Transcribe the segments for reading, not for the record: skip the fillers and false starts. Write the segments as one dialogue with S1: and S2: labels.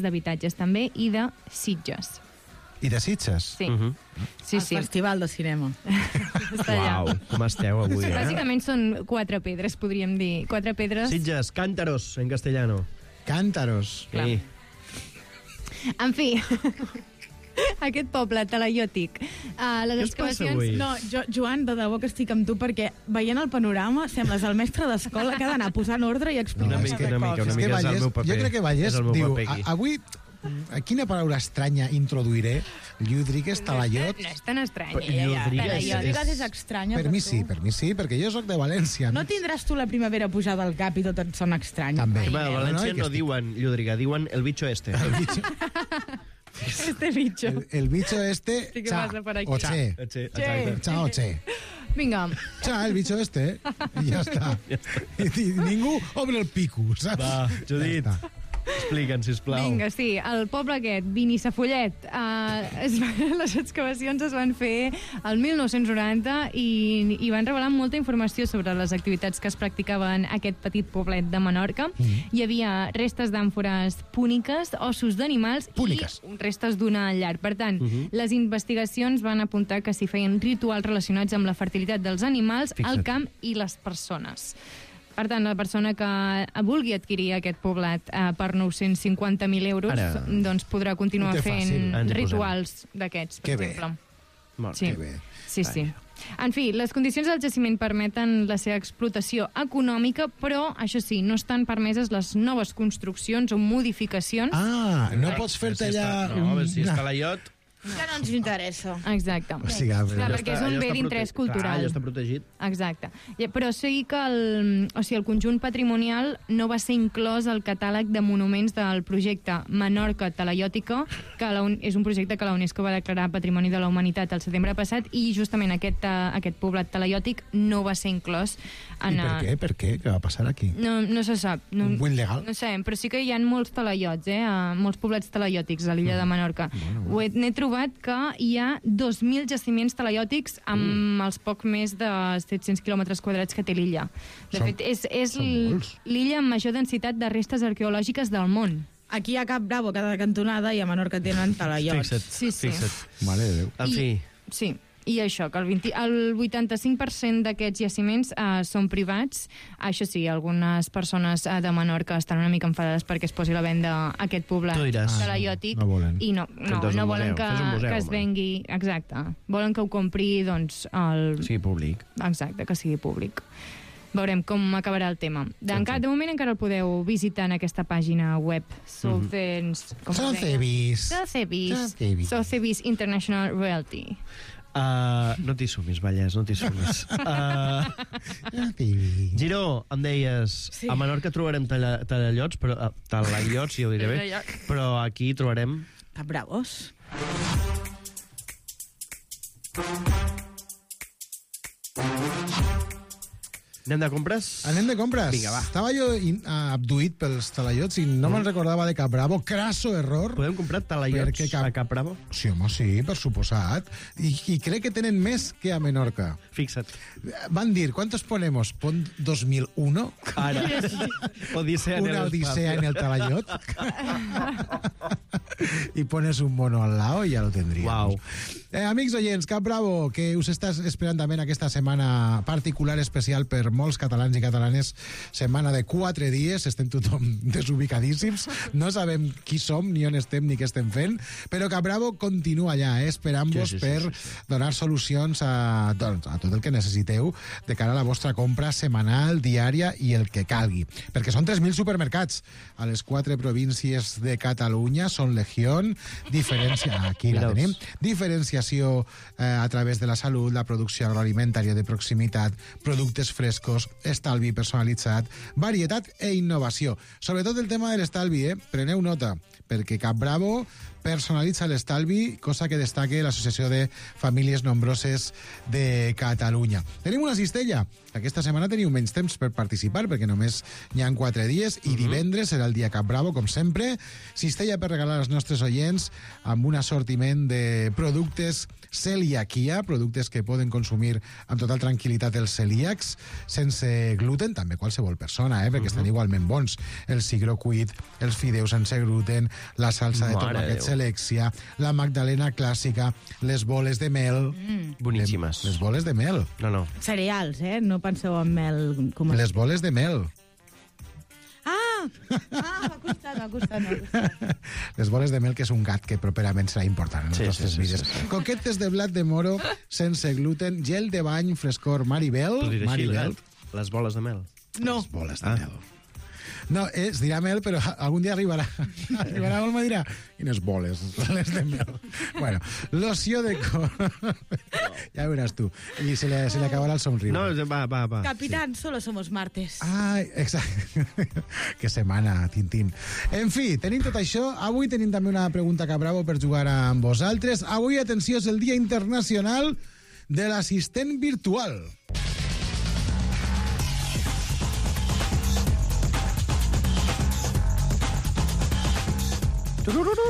S1: d'habitatges també i de Sitges.
S2: I de Sitges?
S1: Sí. Sí,
S3: El
S1: sí.
S3: Festival de Cinema.
S1: Està allà.
S4: Uau, com esteu avui,
S1: Bàsicament són 4 pedres, podríem dir. 4 pedres.
S4: Sitges, cántaros, en castellano.
S2: Cántaros.
S1: Clar.
S4: Sí.
S1: En fi, aquest poble talaiòtic. Les
S4: Què us passa
S1: excavacions...
S4: avui?
S3: No, Joan, de debò que estic amb tu, perquè veient el panorama sembles el mestre d'escola que ha d'anar posant ordre i explicar
S4: Una mica, una
S2: És que
S4: mica és el
S2: Vallès,
S4: meu paper.
S2: jo crec que Vallès
S4: És el meu
S2: diu,
S4: paper aquí.
S2: avui, quina paraula estranya introduiré? Llúdrigues, talaiot...
S1: No és tan estrany.
S4: Llúdrigues
S3: Talaiòtiques és estranya
S2: Per mi sí, perquè jo sóc de València.
S3: No tindràs tu la primavera pujada al cap i tot et sona estrany.
S2: També.
S4: Home, a València
S2: No, no,
S4: no diuen Llúdriga, diuen el bicho este.
S1: Este bicho.
S2: El bicho este...
S1: Sí que
S2: cha,
S1: pasa por aquí.
S2: o che.
S4: Exacte.
S2: Cha o che.
S1: Vinga,
S2: Cha, el bicho este. I ja està. I ningú obre el pico, saps?
S4: Va, Judit,
S2: Ja està.
S4: explica'ns, sisplau.
S1: vinga, sí. El poble aquest, Binissafollet, les excavacions es van fer el 1990 i van revelar molta informació sobre les activitats que es practicaven en aquest petit poblet de Menorca. Hi havia restes d'àmfores púniques, ossos d'animals
S2: Púniques.
S1: i restes d'una llar. Per tant, les investigacions van apuntar que s'hi feien rituals relacionats amb la fertilitat dels animals,
S4: Fixa't.
S1: el camp i les persones. Per tant, la persona que vulgui adquirir aquest poblat per 950.000 euros
S4: Ara.
S1: doncs podrà continuar
S2: Ho té
S1: fent
S2: fàcil.
S4: Ens hi
S1: rituals d'aquests, per
S2: Que bé.
S1: exemple.
S4: Molt
S1: Sí.
S2: Que bé.
S1: Sí, sí. En fi, les condicions del jaciment permeten la seva explotació econòmica, però, això sí, no estan permeses les noves construccions o modificacions.
S2: Ah, no pots fer-te allà...
S4: No, a veure si és talaiot...
S3: Que no ens interessa.
S1: Exacte.
S2: O sigui,
S1: Clar, perquè és un bé d'interès cultural.
S4: Ja està protegit.
S1: Exacte. Però sí que el conjunt patrimonial no va ser inclòs al catàleg de monuments del projecte Menorca Talaiòtica, que és un projecte que la UNESCO va declarar Patrimoni de la Humanitat el setembre passat, i justament aquest poblat talaiòtic no va ser inclòs
S2: I
S1: en...
S2: per què? Per què? Què va passar aquí?
S1: No se sap. No,
S2: Un buit legal?
S1: No sabem, però sí que hi ha molts talaiots, molts poblats talaiòtics a l'illa de Menorca. N'he trobat que hi ha 2.000 jaciments talaiòtics amb els poc més de 700 quilòmetres quadrats que té l'illa. De fet, és
S2: molts.
S1: l'illa amb major densitat de restes arqueològiques del món.
S3: Aquí a Cap Bravo, a cada cantonada, i a Menorca tenen talaiots.
S4: Fixa't,
S1: Sí, sí.
S4: fixa't.
S2: Mare de Déu.
S4: En fi,
S1: Sí. I això, que el 85% d'aquests jaciments són privats. Això sí, algunes persones de Menorca estan una mica enfadades perquè es posi a la venda aquest poblat
S4: Tu diràs.
S1: talaiòtic.
S2: No volen.
S1: I no
S4: Fes un
S1: volen
S4: museu, fes un museu,
S1: que es
S4: home.
S1: vengui... Exacte. Volen que ho compri, doncs,
S4: sí, públic.
S1: Exacte, que sigui públic. Veurem com acabarà el tema. De moment encara el podeu visitar en aquesta pàgina web. Sotheby's Sotheby's International Realty.
S4: No t'hi sumis, Vallès, no t'hi sumis. Giró, em deies,
S3: Sí.
S4: a Menorca trobarem talaiots, però talaiots, ja ho diré bé, però aquí trobarem...
S3: Cap Bravos.
S4: Anem de compres?
S2: Anem de compres.
S4: Vinga, va.
S2: Estava jo abduït pels talaiots i no me'n recordava de Cap Bravo. Crasso error.
S4: Podem comprar talaiots
S2: Perquè
S4: a Cap Bravo?
S2: Sí, home, sí, per suposat. I crec que tenen més que a Menorca.
S4: Fixa't.
S2: Van dir, ¿cuántos ponemos? Pon 2001.
S4: Ara. Odissea en el
S2: Una odisea
S4: espacio.
S2: en el talayot. Y pones un mono al lado y ya lo tendríamos.
S4: Uau.
S2: Amics oients, Cap Bravo, que us estàs esperant també en aquesta setmana particular especial per molts catalans i catalanes, setmana de 4 dies, estem tothom desubicadíssims, no sabem qui som, ni on estem, ni què estem fent, però Cap Bravo continua allà, esperant-vos
S4: Sí.
S2: per donar solucions a tot el que necessiteu de cara a la vostra compra setmanal, diària i el que calgui. Perquè són 3.000 supermercats a les 4 províncies de Catalunya, són Legión, aquí la
S4: Mira-us.
S2: tenim, diferenciació a través de la salut, la producció agroalimentària de proximitat, productes frescos, estalvi personalitzat, varietat e innovació. Sobretot el tema de l'estalvi, preneu nota, perquè Cap Bravo personalitza l'estalvi, cosa que destaque l'Associació de Famílies Nombroses de Catalunya. Tenim una cistella. Aquesta setmana teniu menys temps per participar, perquè només hi ha 4 dies, i divendres serà el dia Cap Bravo, com sempre. Cistella per regalar als nostres oients amb un assortiment de productes celiaquia, productes que poden consumir amb total tranquil·litat els celíacs, sense gluten, també qualsevol persona, perquè estan igualment bons. El cigró cuit, els fideus sense gluten, la salsa de tomàquet Selexia, la magdalena clàssica, les boles de mel.
S4: Boníssimes.
S2: Les boles de mel.
S4: No.
S3: Cereals, no penseu en mel.
S2: Les boles de mel.
S3: M'ha costat.
S2: Les boles de mel, que és un gat que properament serà important en les nostres vides. Coquetes de blat de moro sense gluten, gel de bany, frescor Maribel.
S4: Les boles de mel.
S3: No.
S2: Les boles de mel. No, es dirà mel, però algun dia arribarà. Arribarà on me dirà, quines boles, les de mel. Bueno, loció de cor... Ja veuràs tu. I se li acabarà el somriure.
S4: No, va.
S3: Capitán, solo somos martes.
S2: Ai, exacte. Que setmana, Tintín. En fi, tenim tot això. Avui tenim també una pregunta cabravo per jugar amb vosaltres. Avui, atenció, és el Dia Internacional de l'Assistent Virtual.
S4: Turururu.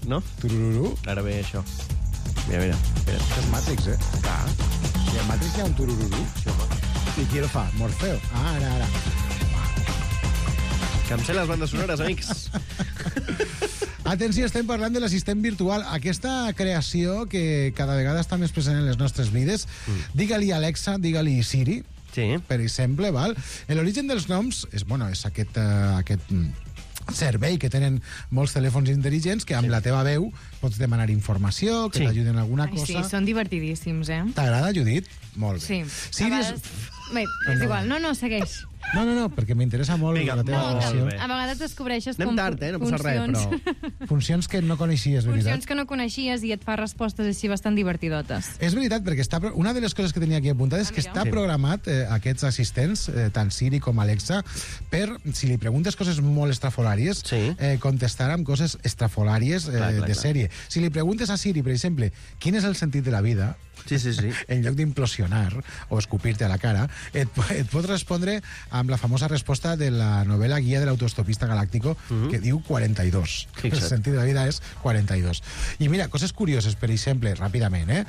S4: No?
S2: Turururu.
S4: Ara ve això. Mira.
S2: És Matrix, Clar. I en Matrix hi ha un turururu.
S4: Sí, home.
S2: I qui el fa? Morfeo. Ara.
S4: Que em sé les bandes sonores, amics.
S2: Atenció, estem parlant de l'assistent virtual. Aquesta creació que cada vegada està més present en les nostres vides. Digue-li Alexa, digue-li Siri, per exemple, val? L'origen dels noms és aquest servei que tenen molts telèfons intel·ligents que amb la teva veu pots demanar informació, que t'ajuden en alguna cosa.
S1: Sí, són divertidíssims,
S2: T'agrada, Judit? Molt
S1: Sí.
S2: bé. Siri
S1: Bé, és igual. No, segueix.
S2: No, perquè m'interessa molt la teva relació.
S1: A vegades descobreixes
S4: anem tard, no passa res, però...
S2: Funcions que no coneixies, veritat?
S1: Funcions que no coneixies i et fa respostes així bastant divertidotes.
S2: És veritat, perquè una de les coses que tenia aquí apuntada és que està programat, aquests assistents, tant Siri com Alexa, per, si li preguntes coses molt estrafolàries, contestar amb coses estrafolàries de sèrie. Si li preguntes a Siri, per exemple, quin és el sentit de la vida, en lloc d'implosionar o escupir-te a la cara, et pot respondre amb la famosa resposta de la novel·la Guia de l'Autostopista Galáctico, que diu 42. El sentit de la vida és 42. I mira, coses curioses, per exemple, ràpidament,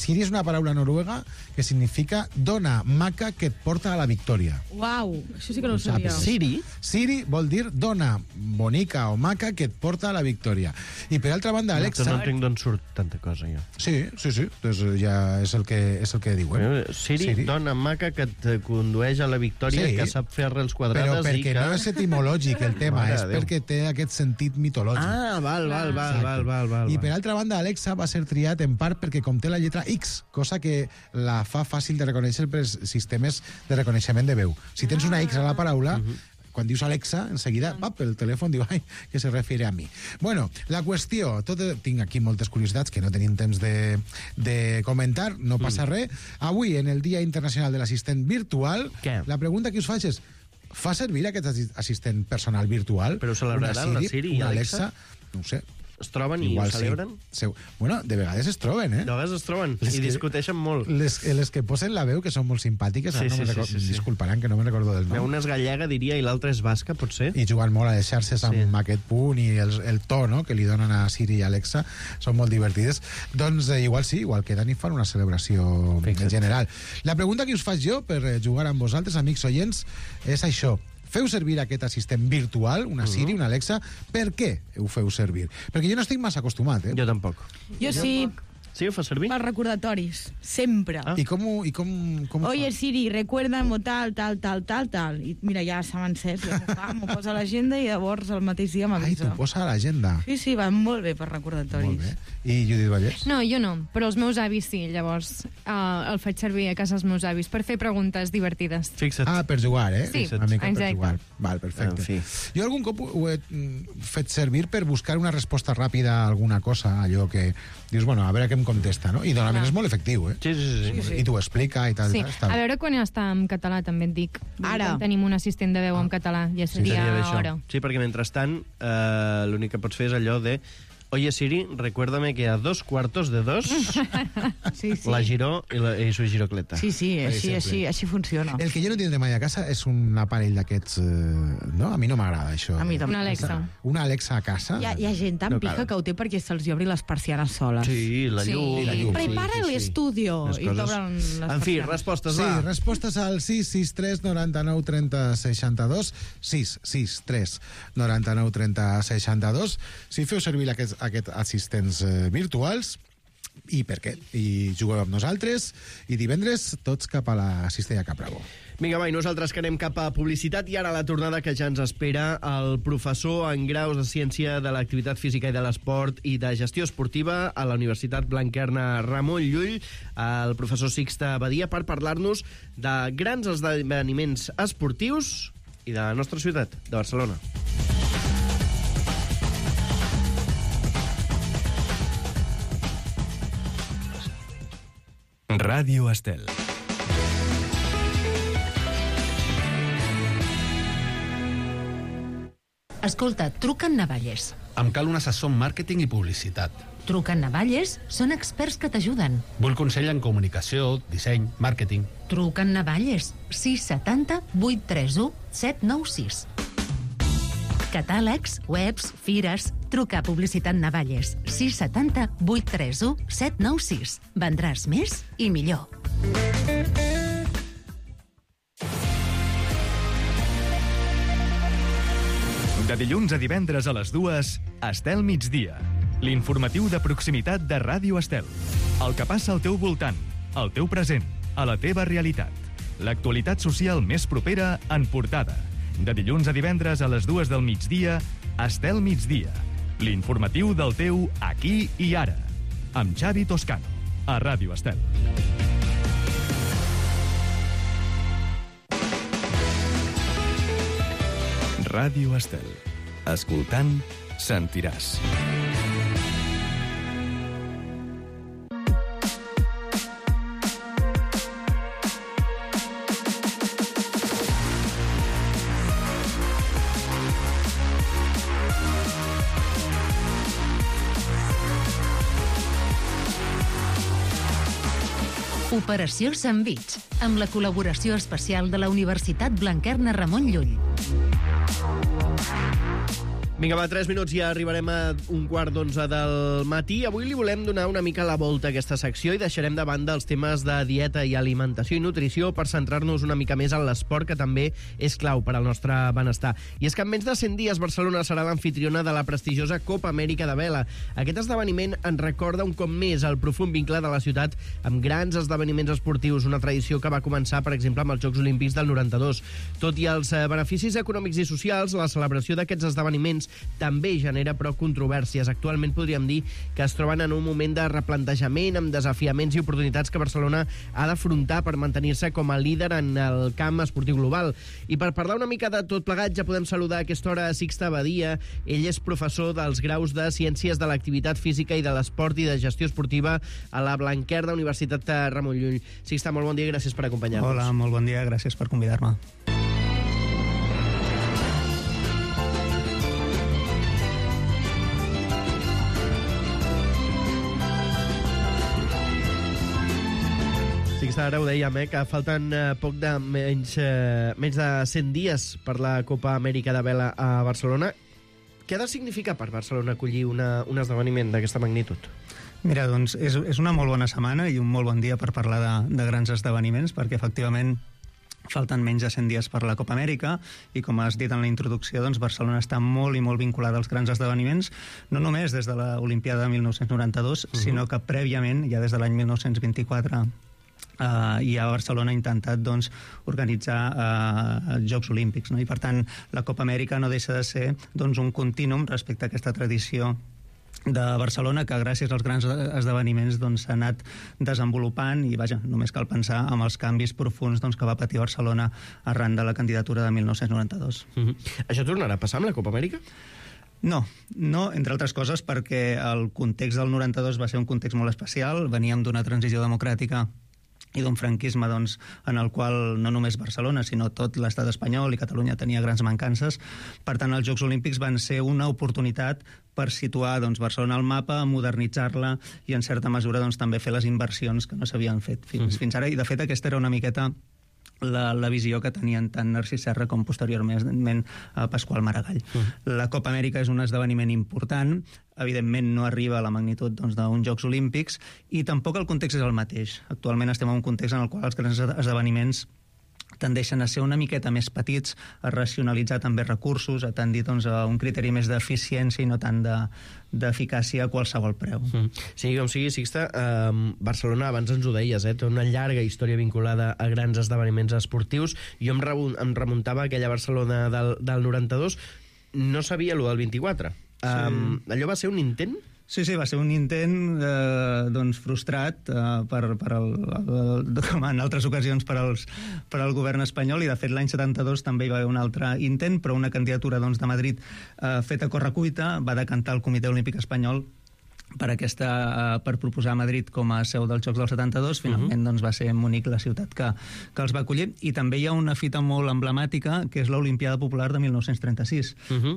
S2: Siri és una paraula noruega que significa dona maca que et porta a la victòria.
S3: Uau, això sí que no ho sabia.
S2: Siri vol dir dona bonica o maca que et porta a la victòria. I per altra banda, Alexa...
S4: No entenc d'on surt tanta cosa, jo.
S2: Sí. Doncs ja és el que diuen.
S4: Siri, dona maca que et condueix a la victòria, que sap fer arrels quadrades
S2: però perquè no és etimològic el tema, és perquè té aquest sentit mitològic.
S4: Val.
S2: I per altra banda, Alexa va ser triat en part perquè conté la lletra X, cosa que la fa fàcil de reconèixer pels sistemes de reconeixement de veu. Si tens una X a la paraula, quan dius Alexa, enseguida, el telèfon diu, que se refiere a mi. Bueno, la qüestió, tinc aquí moltes curiositats que no tenim temps de comentar, no passa res. Avui, en el Dia Internacional de l'Assistent Virtual, la pregunta que us faig és, fa servir aquest assistent personal virtual?
S4: Però celebraran la Siri i Alexa?
S2: No ho sé.
S4: Es troben i ho celebren?
S2: Bueno, de vegades es troben,
S4: De vegades es troben i discuteixen molt.
S2: Les que posen la veu, que són molt simpàtiques, disculparan que no me'n recordo del nom.
S4: Una és gallega, diria, i l'altra és basca, potser.
S2: I jugant molt a les xarxes amb aquest punt i el to que li donen a Siri i Alexa són molt divertides. Doncs igual queden i fan una celebració en general. La pregunta que us faig jo per jugar amb vosaltres, amics oients, és això. Feu servir aquest assistent virtual, una Siri, una Alexa, per què ho feu servir? Perquè jo no estic massa acostumat,
S4: Jo tampoc.
S3: Jo sí.
S4: Sí, ho fa servir?
S3: Per recordatoris, sempre.
S2: I com
S3: Oye, Siri, recuérdame tal. I mira, ja s'ha encès, m'ho posa a l'agenda i llavors el mateix dia m'avisa.
S2: T'ho posa a l'agenda?
S3: Sí, va molt bé per recordatoris.
S2: Molt bé. I Judit Vallès?
S1: No, jo no, però els meus avis sí, llavors el faig servir a casa dels meus avis per fer preguntes divertides.
S2: Fixa't. Per jugar,
S1: Sí,
S2: una mica
S1: exacte.
S2: per jugar. Val, perfecte. Jo algun cop ho he fet servir per buscar una resposta ràpida a alguna cosa, allò que dius, a veure què em contesta, no? I normalment és molt efectiu,
S4: Sí.
S2: I t'ho explica i tal.
S1: Sí, a veure quan està en català, també et dic. Ara tenim un assistent de veu en català, ja seria hora.
S4: Sí, perquè mentrestant l'únic que pots fer és allò de Oye, Siri, recuérdame que a 2:45
S3: Sí, sí.
S4: la giró y su girocleta.
S3: Sí, així funciona.
S2: El que jo no tindré mai a casa és un aparell d'aquests... No? A mi no m'agrada, això.
S3: A mi tampoc.
S1: Una Alexa.
S2: Una Alexa a casa?
S3: Hi ha gent tan
S2: No,
S3: pica
S2: claro.
S3: que ho té perquè se'ls obri les persianes soles.
S4: Sí, la
S1: Sí.
S4: llum.
S2: La llum.
S3: Prepara l'estudio
S4: Les
S3: i
S4: coses.
S3: t'obren les
S4: En fi,
S3: persianes.
S4: respostes,
S2: Sí,
S4: va.
S2: respostes al 663 99 30 62, 663 99 30 62. Si feu servir aquests assistents virtuals, i per què? I jugueu amb nosaltres, i divendres tots cap a la Cistella Capravo.
S4: Vinga, va, i nosaltres que anem cap a publicitat i ara la tornada que ja ens espera el professor en graus de Ciència de l'Activitat Física i de l'Esport i de Gestió Esportiva a la Universitat Blanquerna Ramon Llull, el professor Sixte Badia, per parlar-nos de grans esdeveniments esportius i de la nostra ciutat, de Barcelona.
S5: Ràdio Estel.
S6: Escolta, truca en Navalles.
S7: Em cal un assessor en màrqueting i publicitat.
S6: Truca en Navalles, són experts que t'ajuden.
S7: Vull consell en comunicació, disseny, màrqueting.
S6: Truca en Navalles, 670 831 796. Catàlegs, webs, fires... Truca a Publicitat Navalles, 670 831 796. Vendràs més i millor.
S5: De dilluns a divendres a les 2, Estel Migdia. L'informatiu de proximitat de Ràdio Estel. El que passa al teu voltant, al teu present, a la teva realitat. L'actualitat social més propera en portada. De dilluns a divendres a les 2 del migdia, Estel Migdia. L'informatiu del teu aquí i ara. Amb Xavi Toscano, a Ràdio Estel. Ràdio Estel. Escoltant, sentiràs.
S6: Operació Sandvich, amb la col·laboració especial de la Universitat Blanquerna Ramon Llull.
S4: Vinga, va, 3 minuts i ja arribarem a 11:15 del matí. Avui li volem donar una mica la volta a aquesta secció i deixarem de banda els temes de dieta i alimentació i nutrició per centrar-nos una mica més en l'esport, que també és clau per al nostre benestar. I és que en menys de 100 dies Barcelona serà l'anfitriona de la prestigiosa Copa Amèrica de Vela. Aquest esdeveniment ens recorda un cop més el profund vincle de la ciutat amb grans esdeveniments esportius, una tradició que va començar, per exemple, amb els Jocs Olímpics del 92. Tot i els beneficis econòmics i socials, la celebració d'aquests esdeveniments també genera prou controvèrsies. Actualment podríem dir que es troben en un moment de replantejament amb desafiaments i oportunitats que Barcelona ha d'afrontar per mantenir-se com a líder en el camp esportiu global. I per parlar una mica de tot plegat ja podem saludar a aquesta hora a Sixte Badia. Ell és professor dels graus de Ciències de l'Activitat Física i de l'Esport i de Gestió Esportiva a la Blanquerna Universitat de Ramon Llull. Sixte, molt bon dia i gràcies per acompanyar-nos.
S8: Hola, molt bon dia, gràcies per convidar-me.
S4: Sixte, ara ho dèiem, que falten menys de 100 dies per la Copa Amèrica de Vela a Barcelona. Què ha de significar per Barcelona acollir un esdeveniment d'aquesta magnitud?
S8: Mira, doncs és una molt bona setmana i un molt bon dia per parlar de grans esdeveniments, perquè efectivament falten menys de 100 dies per la Copa Amèrica i, com has dit en la introducció, doncs Barcelona està molt i molt vinculada als grans esdeveniments, no només des de l'Olimpiada de 1992, sinó que prèviament, ja des de l'any 1924, i a Barcelona ha intentat doncs, organitzar els Jocs Olímpics, no? I per tant la Copa Amèrica no deixa de ser doncs, un contínuum respecte a aquesta tradició de Barcelona, que gràcies als grans esdeveniments doncs, s'ha anat desenvolupant i, vaja, només cal pensar en els canvis profuns doncs, que va patir Barcelona arran de la candidatura de 1992.
S4: Això tornarà a passar amb la Copa Amèrica?
S8: No, entre altres coses perquè el context del 92 va ser un context molt especial, veníem d'una transició democràtica i d'un franquisme doncs, en el qual no només Barcelona, sinó tot l'estat espanyol i Catalunya tenia grans mancances. Per tant, els Jocs Olímpics van ser una oportunitat per situar doncs, Barcelona al mapa, modernitzar-la i, en certa mesura, doncs, també fer les inversions que no s'havien fet fins ara. I, de fet, aquesta era una miqueta la visió que tenien tant Narcís Serra com posteriorment Pasqual Maragall. La Copa Amèrica és un esdeveniment important, evidentment no arriba a la magnitud doncs, d'uns Jocs Olímpics i tampoc el context és el mateix. Actualment estem en un context en el qual els grans esdeveniments tendeixen a ser una miqueta més petits, a racionalitzar també recursos, a tendir doncs, a un criteri més d'eficiència i no tant d'eficàcia a qualsevol preu.
S4: Sí, com sigui, Sixte, Barcelona, abans ens ho deies, té una llarga història vinculada a grans esdeveniments esportius. Jo em remuntava a aquella Barcelona del 92, no sabia allò del 24. Allò va ser un intent?
S8: Sí, va ser un intent doncs, frustrat com en altres ocasions per al govern espanyol, i de fet l'any 72 també hi va haver un altre intent, però una candidatura doncs, de Madrid feta a correcuita va decantar el Comitè Olímpic Espanyol per proposar a Madrid com a seu dels Jocs del 72. Finalment doncs, va ser Munic la ciutat que els va acollir, i també hi ha una fita molt emblemàtica que és l'Olimpiada Popular de 1936.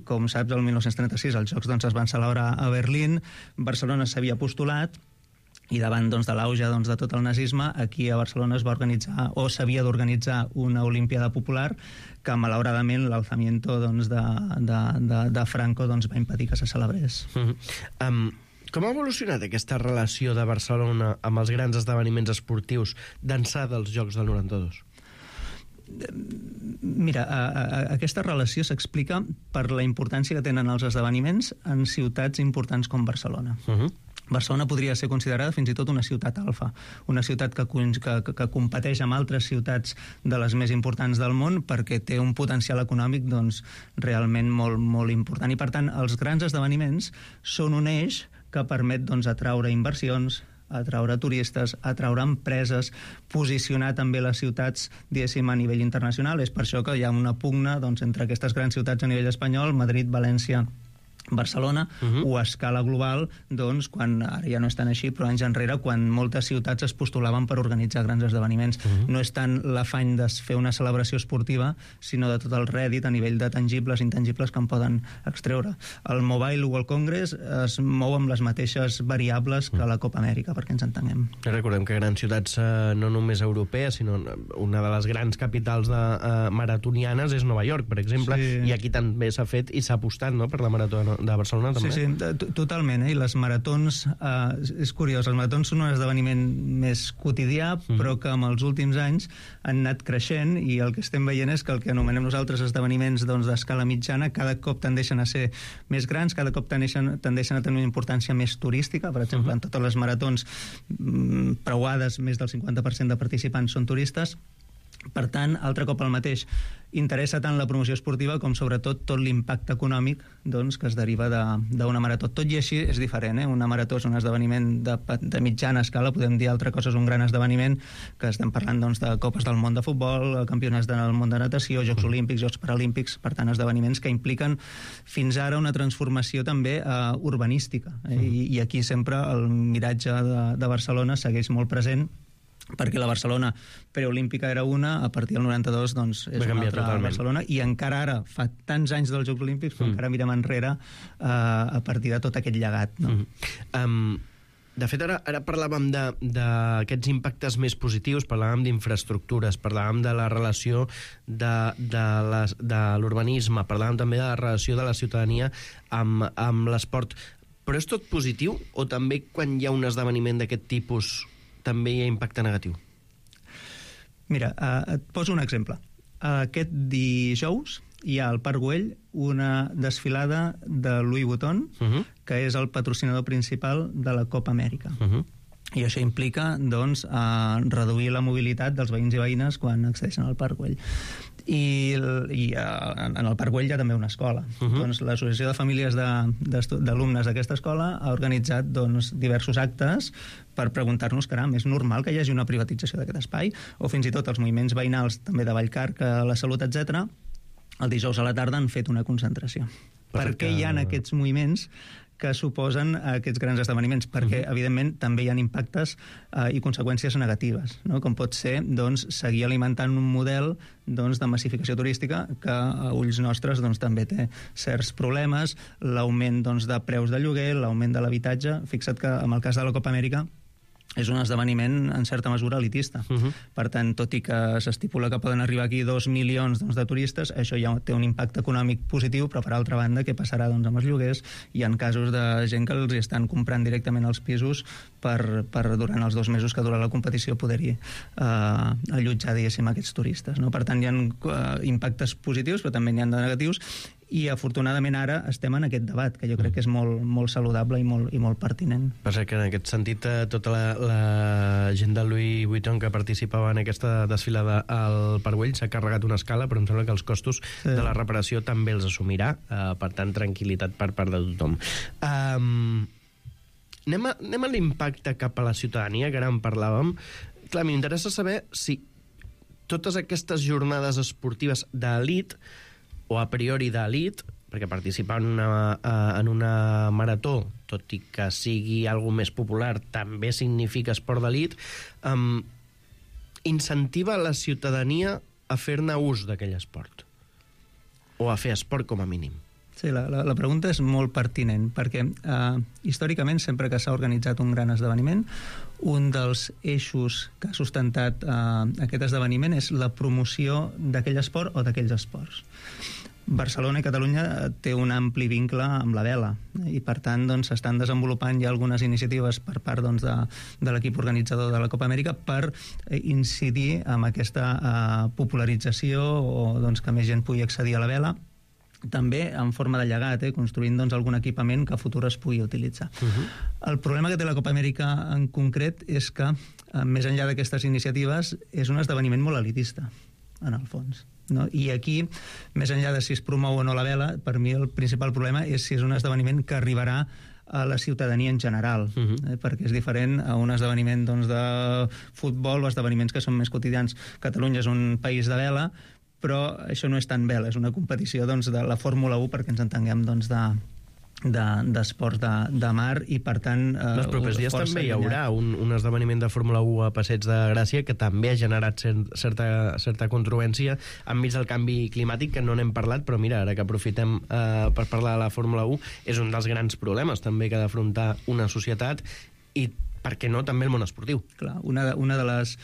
S8: Com saps, el 1936 els Jocs doncs, es van celebrar a Berlín, Barcelona s'havia postulat, i davant doncs, de l'auge doncs, de tot el nazisme, aquí a Barcelona es va organitzar, o s'havia d'organitzar, una Olimpiada Popular que malauradament l'alzamiento doncs, de Franco doncs, va impedir que se celebrés.
S4: Com ha evolucionat aquesta relació de Barcelona amb els grans esdeveniments esportius d'ençà dels Jocs del 92?
S8: Mira, aquesta relació s'explica per la importància que tenen els esdeveniments en ciutats importants com Barcelona. Barcelona podria ser considerada fins i tot una ciutat alfa, una ciutat que competeix amb altres ciutats de les més importants del món perquè té un potencial econòmic doncs, realment molt, molt important. I per tant, els grans esdeveniments són un eix que permet doncs, atraure inversions, atraure turistes, atraure empreses, posicionar també les ciutats, diguéssim, a nivell internacional. És per això que hi ha una pugna doncs, entre aquestes grans ciutats a nivell espanyol, Madrid, València, Barcelona, o a escala global, doncs, quan ara ja no és tan així, però anys enrere, quan moltes ciutats es postulaven per organitzar grans esdeveniments. No és tant l'afany de fer una celebració esportiva, sinó de tot el rèdit a nivell de tangibles i intangibles que en poden extreure. El Mobile World Congress es mou amb les mateixes variables que la Copa Amèrica, perquè ens entenguem.
S4: Recordem que grans ciutats no només europees, sinó una de les grans capitals maratonianes és Nova York, per exemple, i aquí també s'ha fet i s'ha apostat per la marató de Barcelona també.
S8: Sí, totalment, i les maratons, és curiós, els maratons són un esdeveniment més quotidià, però que amb els últims anys han anat creixent, i el que estem veient és que el que anomenem nosaltres esdeveniments d'escala mitjana cada cop tendeixen a ser més grans, cada cop tendeixen a tenir una importància més turística. Per exemple, en totes les maratons preuades, més del 50% de participants són turistes. Per tant, altre cop el mateix, interessa tant la promoció esportiva com sobretot tot l'impacte econòmic doncs, que es deriva d'una marató. Tot i així és diferent, Una marató és un esdeveniment de mitjana escala, podem dir altra cosa, és un gran esdeveniment, que estem parlant doncs, de Copes del Món de Futbol, campionats del món de natació, Jocs Olímpics, Jocs Paralímpics, per tant, esdeveniments que impliquen fins ara una transformació també urbanística. I aquí sempre el miratge de Barcelona segueix molt present, perquè la Barcelona preolímpica era una, a partir del 92 doncs, és una altra Barcelona, i encara ara, fa tants anys dels Jocs Olímpics, però encara mirem enrere a partir de tot aquest llegat.
S4: De fet, ara parlàvem d'aquests impactes més positius, parlàvem d'infraestructures, parlàvem de la relació de l'urbanisme, parlàvem també de la relació de la ciutadania amb l'esport. Però és tot positiu o també quan hi ha un esdeveniment d'aquest tipus també hi ha impacte negatiu?
S8: Mira, et poso un exemple. Aquest dijous hi ha al Parc Güell una desfilada de Louis Vuitton, que és el patrocinador principal de la Copa Amèrica. I això implica doncs, reduir la mobilitat dels veïns i veïnes quan accedeixen al Parc Güell. I en el Parc Güell hi ha també una escola. Doncs l'Associació de Famílies d'Alumnes d'aquesta escola ha organitzat doncs, diversos actes per preguntar-nos, caram, és normal que hi hagi una privatització d'aquest espai? O fins i tot els moviments veïnals també de Vallcarca, la Salut, etc. el dijous a la tarda han fet una concentració. Per què hi ha aquests moviments que suposen aquests grans esdeveniments, perquè, evidentment, també hi ha impactes i conseqüències negatives, no? Com pot ser doncs, seguir alimentant un model doncs, de massificació turística que a ulls nostres doncs, també té certs problemes, l'augment doncs, de preus de lloguer, l'augment de l'habitatge. Fixa't que en el cas de la Copa Amèrica és un esdeveniment en certa mesura elitista. Per tant, tot i que s'estipula que poden arribar aquí 2 milions doncs, de turistes, això ja té un impacte econòmic positiu, però per altra banda, què passarà doncs, amb els lloguers? Hi ha casos de gent que els estan comprant directament els pisos per durant els 2 mesos que dura la competició poder-hi allotjar, diguéssim, aquests turistes. No? Per tant, hi ha impactes positius, però també n'hi ha de negatius, i afortunadament ara estem en aquest debat, que jo crec que és molt, molt saludable i molt pertinent.
S4: Passa que en aquest sentit tota la gent de Louis Vuitton que participava en aquesta desfilada al Parc Güell s'ha carregat una escala, però em sembla que els costos de la reparació també els assumirà, per tant, tranquil·litat per part de tothom. Anem a l'impacte cap a la ciutadania, que ara en parlàvem. Clar, m'interessa saber si totes aquestes jornades esportives d'elit o a priori d'elit, perquè participar en una marató, tot i que sigui alguna més popular, també significa esport d'elit, incentiva la ciutadania a fer-ne ús d'aquell esport, o a fer esport com a mínim.
S8: Sí, la pregunta és molt pertinent, perquè històricament, sempre que s'ha organitzat un gran esdeveniment, un dels eixos que ha sustentat aquest esdeveniment és la promoció d'aquell esport o d'aquells esports. Barcelona i Catalunya té un ampli vincle amb la vela i, per tant, doncs, s'estan desenvolupant ja algunes iniciatives per part doncs, de l'equip organitzador de la Copa Amèrica per incidir en aquesta popularització o doncs, que més gent pugui accedir a la vela, també en forma de llegat, construint doncs, algun equipament que a futur es pugui utilitzar. El problema que té la Copa Amèrica en concret és que, més enllà d'aquestes iniciatives, és un esdeveniment molt elitista, en el fons. No? I aquí, més enllà de si es promou o no la vela, per mi el principal problema és si és un esdeveniment que arribarà a la ciutadania en general, perquè és diferent a un esdeveniment doncs, de futbol o esdeveniments que són més quotidians. Catalunya és un país de vela, però això no és tan vela, és una competició doncs, de la Fórmula 1, perquè ens entenguem doncs, d'esports de mar, i per tant
S4: els propers dies també hi haurà un esdeveniment de Fórmula 1 a Passeig de Gràcia que també ha generat certa controvèrsia enmig del canvi climàtic, que no n'hem parlat, però mira, ara que aprofitem per parlar de la Fórmula 1, és un dels grans problemes també que ha d'afrontar una societat, i per què no també el món esportiu.
S8: Clar, una dels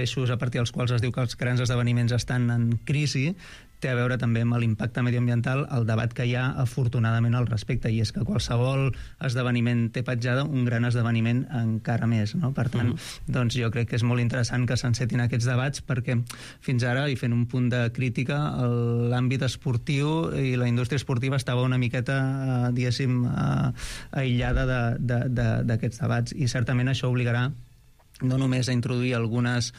S8: eixos a partir dels quals es diu que els grans esdeveniments estan en crisi té a veure també amb l'impacte mediambiental, el debat que hi ha afortunadament al respecte, i és que qualsevol esdeveniment té petjada, un gran esdeveniment encara més, no? Per tant, doncs jo crec que és molt interessant que s'encetin aquests debats, perquè fins ara, i fent un punt de crítica, l'àmbit esportiu i la indústria esportiva estava una miqueta, diguéssim, aïllada d'aquests debats, i certament això obligarà no només a introduir alguns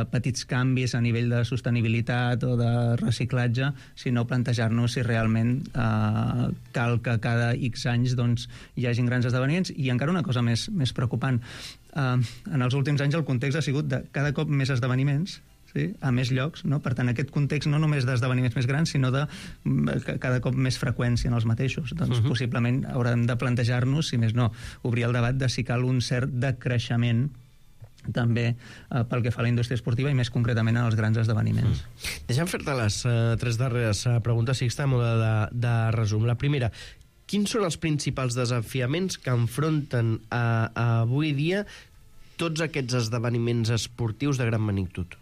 S8: petits canvis a nivell de sostenibilitat o de reciclatge, sinó plantejar-nos si realment cal que cada X anys doncs, hi hagin grans esdeveniments. I encara una cosa més preocupant. En els últims anys el context ha sigut de cada cop més esdeveniments, sí, a més llocs, no? Per tant, aquest context no només d'esdeveniments més grans, sinó de cada cop més freqüència en els mateixos. Doncs possiblement haurem de plantejar-nos, si més no, obrir el debat de si cal un cert decreixement també pel que fa a la indústria esportiva i més concretament en els grans esdeveniments.
S4: Deixa'm fer-te les 3 darreres preguntes, Sixta, a mode de resum. La primera, quins són els principals desafiaments que enfronten avui dia tots aquests esdeveniments esportius de gran magnitud?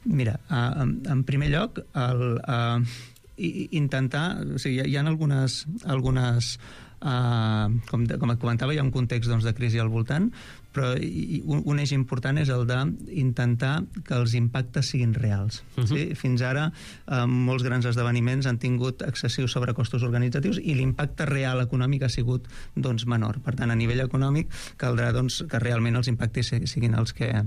S8: Mira, en primer lloc, intentar... O sigui, hi ha algunes com et comentava, hi ha un context doncs, de crisi al voltant, però un eix important és el d'intentar que els impactes siguin reals. Sí? Fins ara, molts grans esdeveniments han tingut excessius sobrecostos organitzatius i l'impacte real econòmic ha sigut doncs, menor. Per tant, a nivell econòmic caldrà doncs, que realment els impactes siguin els que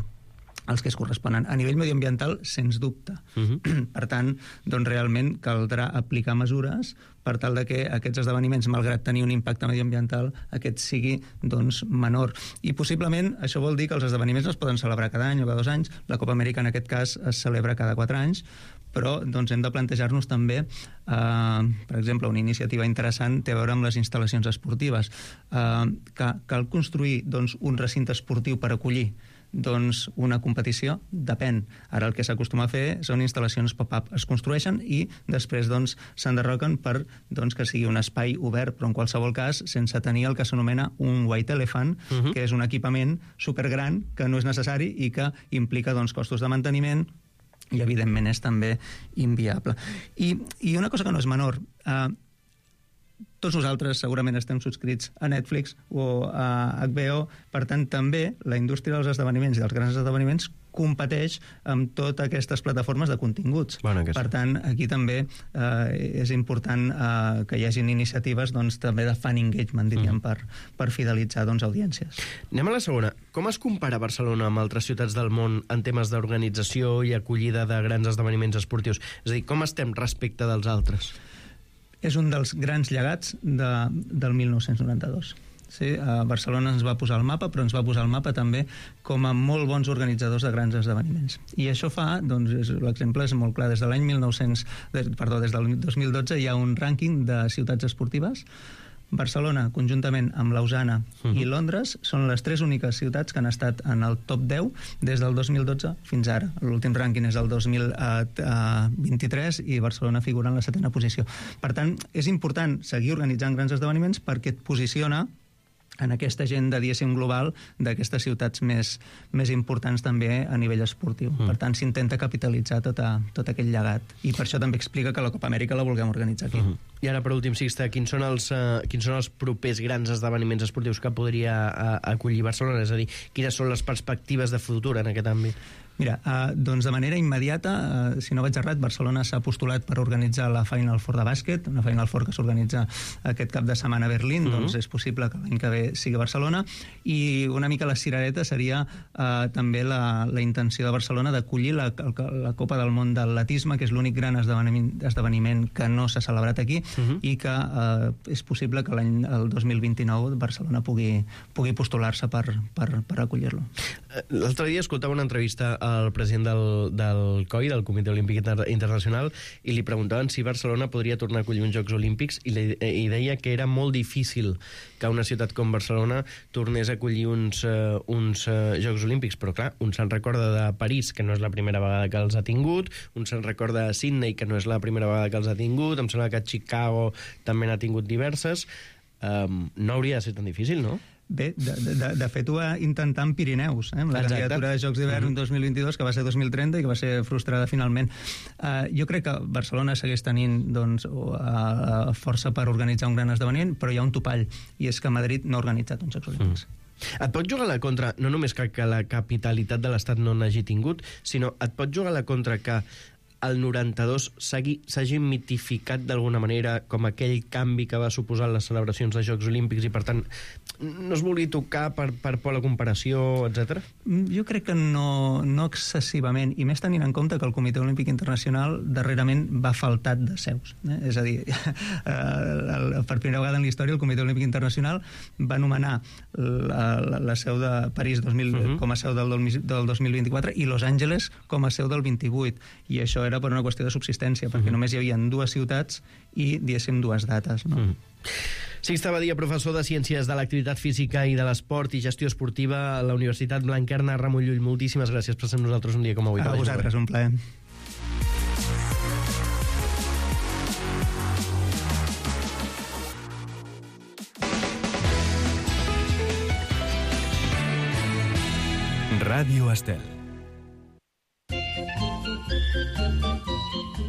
S8: es corresponen. A nivell mediambiental, sens dubte. Per tant, doncs, realment caldrà aplicar mesures per tal de que aquests esdeveniments, malgrat tenir un impacte mediambiental, aquest sigui doncs, menor. I possiblement això vol dir que els esdeveniments no es poden celebrar cada any o cada 2 anys. La Copa Amèrica, en aquest cas, es celebra cada 4 anys, però doncs, hem de plantejar-nos també, per exemple, una iniciativa interessant té a veure amb les instal·lacions esportives. Cal construir doncs, un recinte esportiu per acollir doncs una competició? Depèn. Ara el que s'acostuma a fer són instal·lacions pop-up. Es construeixen i després doncs, s'enderroquen per doncs, que sigui un espai obert, però en qualsevol cas sense tenir el que s'anomena un white elephant, que és un equipament supergran que no és necessari i que implica doncs, costos de manteniment i evidentment és també inviable. I una cosa que no és menor, tots nosaltres segurament estem subscrits a Netflix o a HBO, per tant també la indústria dels esdeveniments i dels grans esdeveniments competeix amb totes aquestes plataformes de continguts. Per tant, aquí també és important que hi hagin iniciatives doncs, també de fan engagement, diríem, per fidelitzar doncs, audiències.
S4: Anem a la segona. Com es compara Barcelona amb altres ciutats del món en temes d'organització i acollida de grans esdeveniments esportius? És a dir, com estem respecte dels altres?
S8: És un dels grans llegats del 1992. Sí, Barcelona ens va posar al mapa, però ens va posar al mapa també com a molt bons organitzadors de grans esdeveniments. I això fa, doncs, l'exemple és molt clar, des del 2012 hi ha un rànquing de ciutats esportives. Barcelona, conjuntament amb Lausana i Londres, són les 3 úniques ciutats que han estat en el top 10 des del 2012 fins ara. L'últim rànquing és el 2023 i Barcelona figura en la 7ª posició. Per tant, és important seguir organitzant grans esdeveniments perquè et posiciona en aquesta agenda, diguéssim, global d'aquestes ciutats més importants també a nivell esportiu. Per tant, s'intenta capitalitzar tot aquell llegat. I per això també explica que la Copa Amèrica la vulguem organitzar aquí.
S4: I ara, per últim, Sixte, quins són els propers grans esdeveniments esportius que podria acollir Barcelona? És a dir, quines són les perspectives de futur en aquest àmbit?
S8: Mira, doncs de manera immediata, si no vaig errat, Barcelona s'ha postulat per organitzar la Final Four de bàsquet, una Final Four que s'organitza aquest cap de setmana a Berlín, doncs és possible que l'any que ve sigui Barcelona, i una mica la cirereta seria també la intenció de Barcelona d'acollir la Copa del Món d'Atletisme, que és l'únic gran esdeveniment que no s'ha celebrat aquí, i que és possible que l'any 2029 Barcelona pugui postular-se per acollir-lo.
S4: L'altre dia escoltava una entrevista al president del COI, del Comitè Olímpic Internacional, i li preguntaven si Barcelona podria tornar a acollir uns Jocs Olímpics i deia que era molt difícil que una ciutat com Barcelona tornés a acollir uns Jocs Olímpics, però clar, un se'n recorda de París, que no és la primera vegada que els ha tingut, un se'n recorda de Sydney, que no és la primera vegada que els ha tingut, em sembla que Chicago també n'ha tingut diverses. No hauria de ser tan difícil, no?
S8: Bé, de fet ho va intentar en Pirineus, amb la candidatura de Jocs d'hivern 2022, que va ser 2030 i que va ser frustrada finalment. Jo crec que Barcelona segueix tenint força per organitzar un gran esdeveniment, però hi ha un topall, i és que Madrid no ha organitzat uns Jocs Olímpics.
S4: Et pot jugar a la contra, no només que la capitalitat de l'Estat no n'hagi tingut, sinó et pot jugar a la contra que el 92 s'hagi mitificat d'alguna manera com aquell canvi que va suposar les celebracions de Jocs Olímpics i, per tant, no es vulgui tocar per por a la comparació, etc.
S8: Jo crec que no excessivament, i més tenint en compte que el Comitè Olímpic Internacional darrerament va faltat de seus. És a dir, per primera vegada en la història el Comitè Olímpic Internacional va anomenar la seu de París com a seu del 2024 i Los Angeles com a seu del 28, i això era per una qüestió de subsistència, perquè només hi havia 2 ciutats i, diguéssim, 2 dates.
S4: Sixte Badia, professor de Ciències de l'Activitat Física i de l'Esport i Gestió Esportiva a la Universitat Blanquerna, Ramon Llull, moltíssimes gràcies per ser amb nosaltres un dia com avui.
S8: A vosaltres, un plaer.
S5: Ràdio Estel.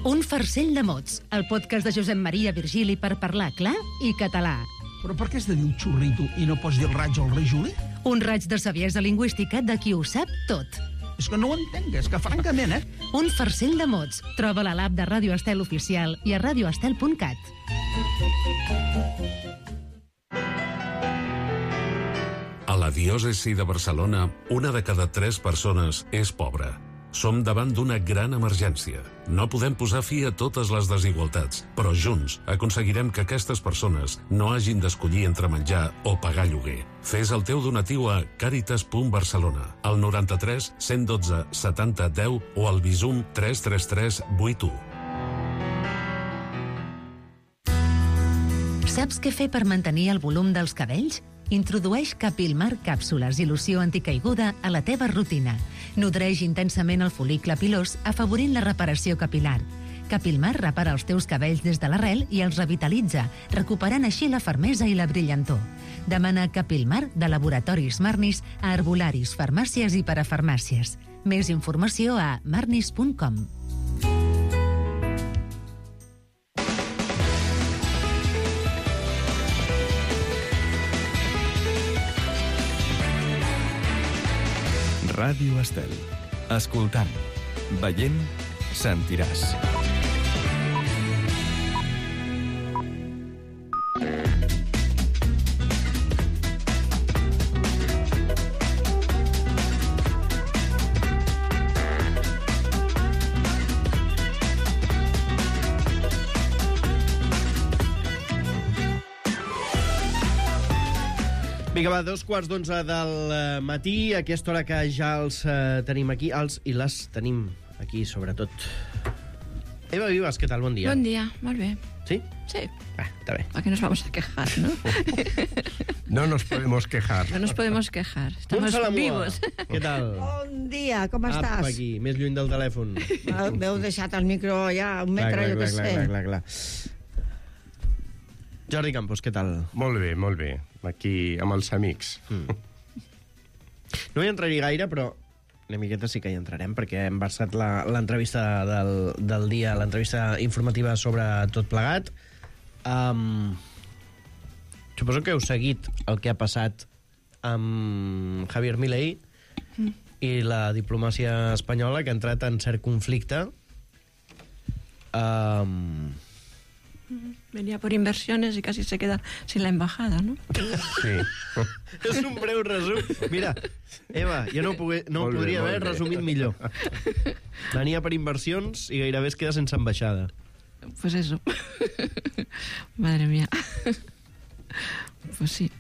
S6: Un farcell de mots, el podcast de Josep Maria Virgili per parlar clar i català.
S9: Però per què has de dir un xurrito i no pots dir el raig al rei Juli?
S6: Un raig de saviesa lingüística de qui ho sap tot.
S9: És que no ho entenc, és que francament,
S6: Un farcell de mots. Troba-la a l'app de Ràdio Estel Oficial i a radioestel.cat.
S10: A la diòcesi de Barcelona, 1 de cada 3 persones és pobra. Som davant d'una gran emergència. No podem posar fi a totes les desigualtats, però junts aconseguirem que aquestes persones no hagin d'escollir entre menjar o pagar lloguer. Fes el teu donatiu a caritas.barcelona, al 93 112 70 10 o al Bizum 333 81.
S6: Saps què fer per mantenir el volum dels cabells? Introdueix Capilmar càpsules i loció anticaiguda a la teva rutina. Nodreix intensament el fol·licle pilós, afavorint la reparació capilar. Capilmar repara els teus cabells des de l'arrel i els revitalitza, recuperant així la fermesa i la brillantor. Demana Capilmar de Laboratoris Marnis a herbolaris, farmàcies i parafarmàcies. Més informació a marnis.com.
S5: Ràdio Estel. Escoltant, veient, sentiràs.
S4: Vinga, va, 11:15 del matí, a aquesta hora que ja els tenim aquí, els i les tenim aquí, sobretot. Eva Vives, què tal? Bon dia.
S11: Bon dia, molt bé.
S4: ¿Sí?
S11: Sí.
S4: Está bien.
S11: ¿A qué nos vamos a quejar, no?
S12: No nos podemos quejar.
S11: No nos podemos quejar. Estamos vivos.
S4: Què tal?
S3: Bon dia, com estàs?
S4: Apa, aquí, més lluny del telèfon.
S3: M'heu deixat el micro allà, un metre, jo què sé.
S4: Clar. Jordi Campos, què tal?
S12: Molt bé. Aquí, amb els amics.
S4: No hi entraré gaire, però una miqueta sí que hi entrarem, perquè hem versat l'entrevista del dia, l'entrevista informativa sobre tot plegat. Suposo que heu seguit el que ha passat amb Javier Milei i la diplomàcia espanyola, que ha entrat en cert conflicte.
S11: Venía por inversiones y casi se queda sin la embajada, ¿no?
S12: Sí.
S4: És un breu resum. Mira, Eva, jo no ho podria haver resumit millor. Venia per inversions i gairebé es queda sense ambaixada.
S11: Pues eso. Madre mía. Pues sí.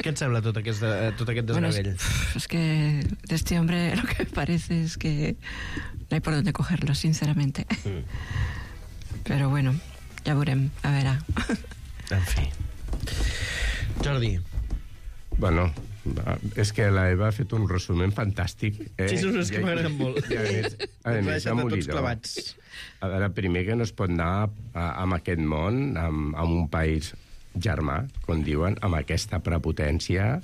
S4: Què et sembla tot aquest desgavell?
S11: Es que de este hombre lo que parece es que no hay por dónde cogerlo, sinceramente. Pero bueno, ja veurem, a veure.
S4: En fi. Jordi.
S12: Bueno, és que la Eva ha fet un resum fantàstic.
S4: Sí, són els que m'agraden molt.
S12: A més, demolidor. A veure, primer que no es pot anar amb aquest món, amb un país germà, com diuen, amb aquesta prepotència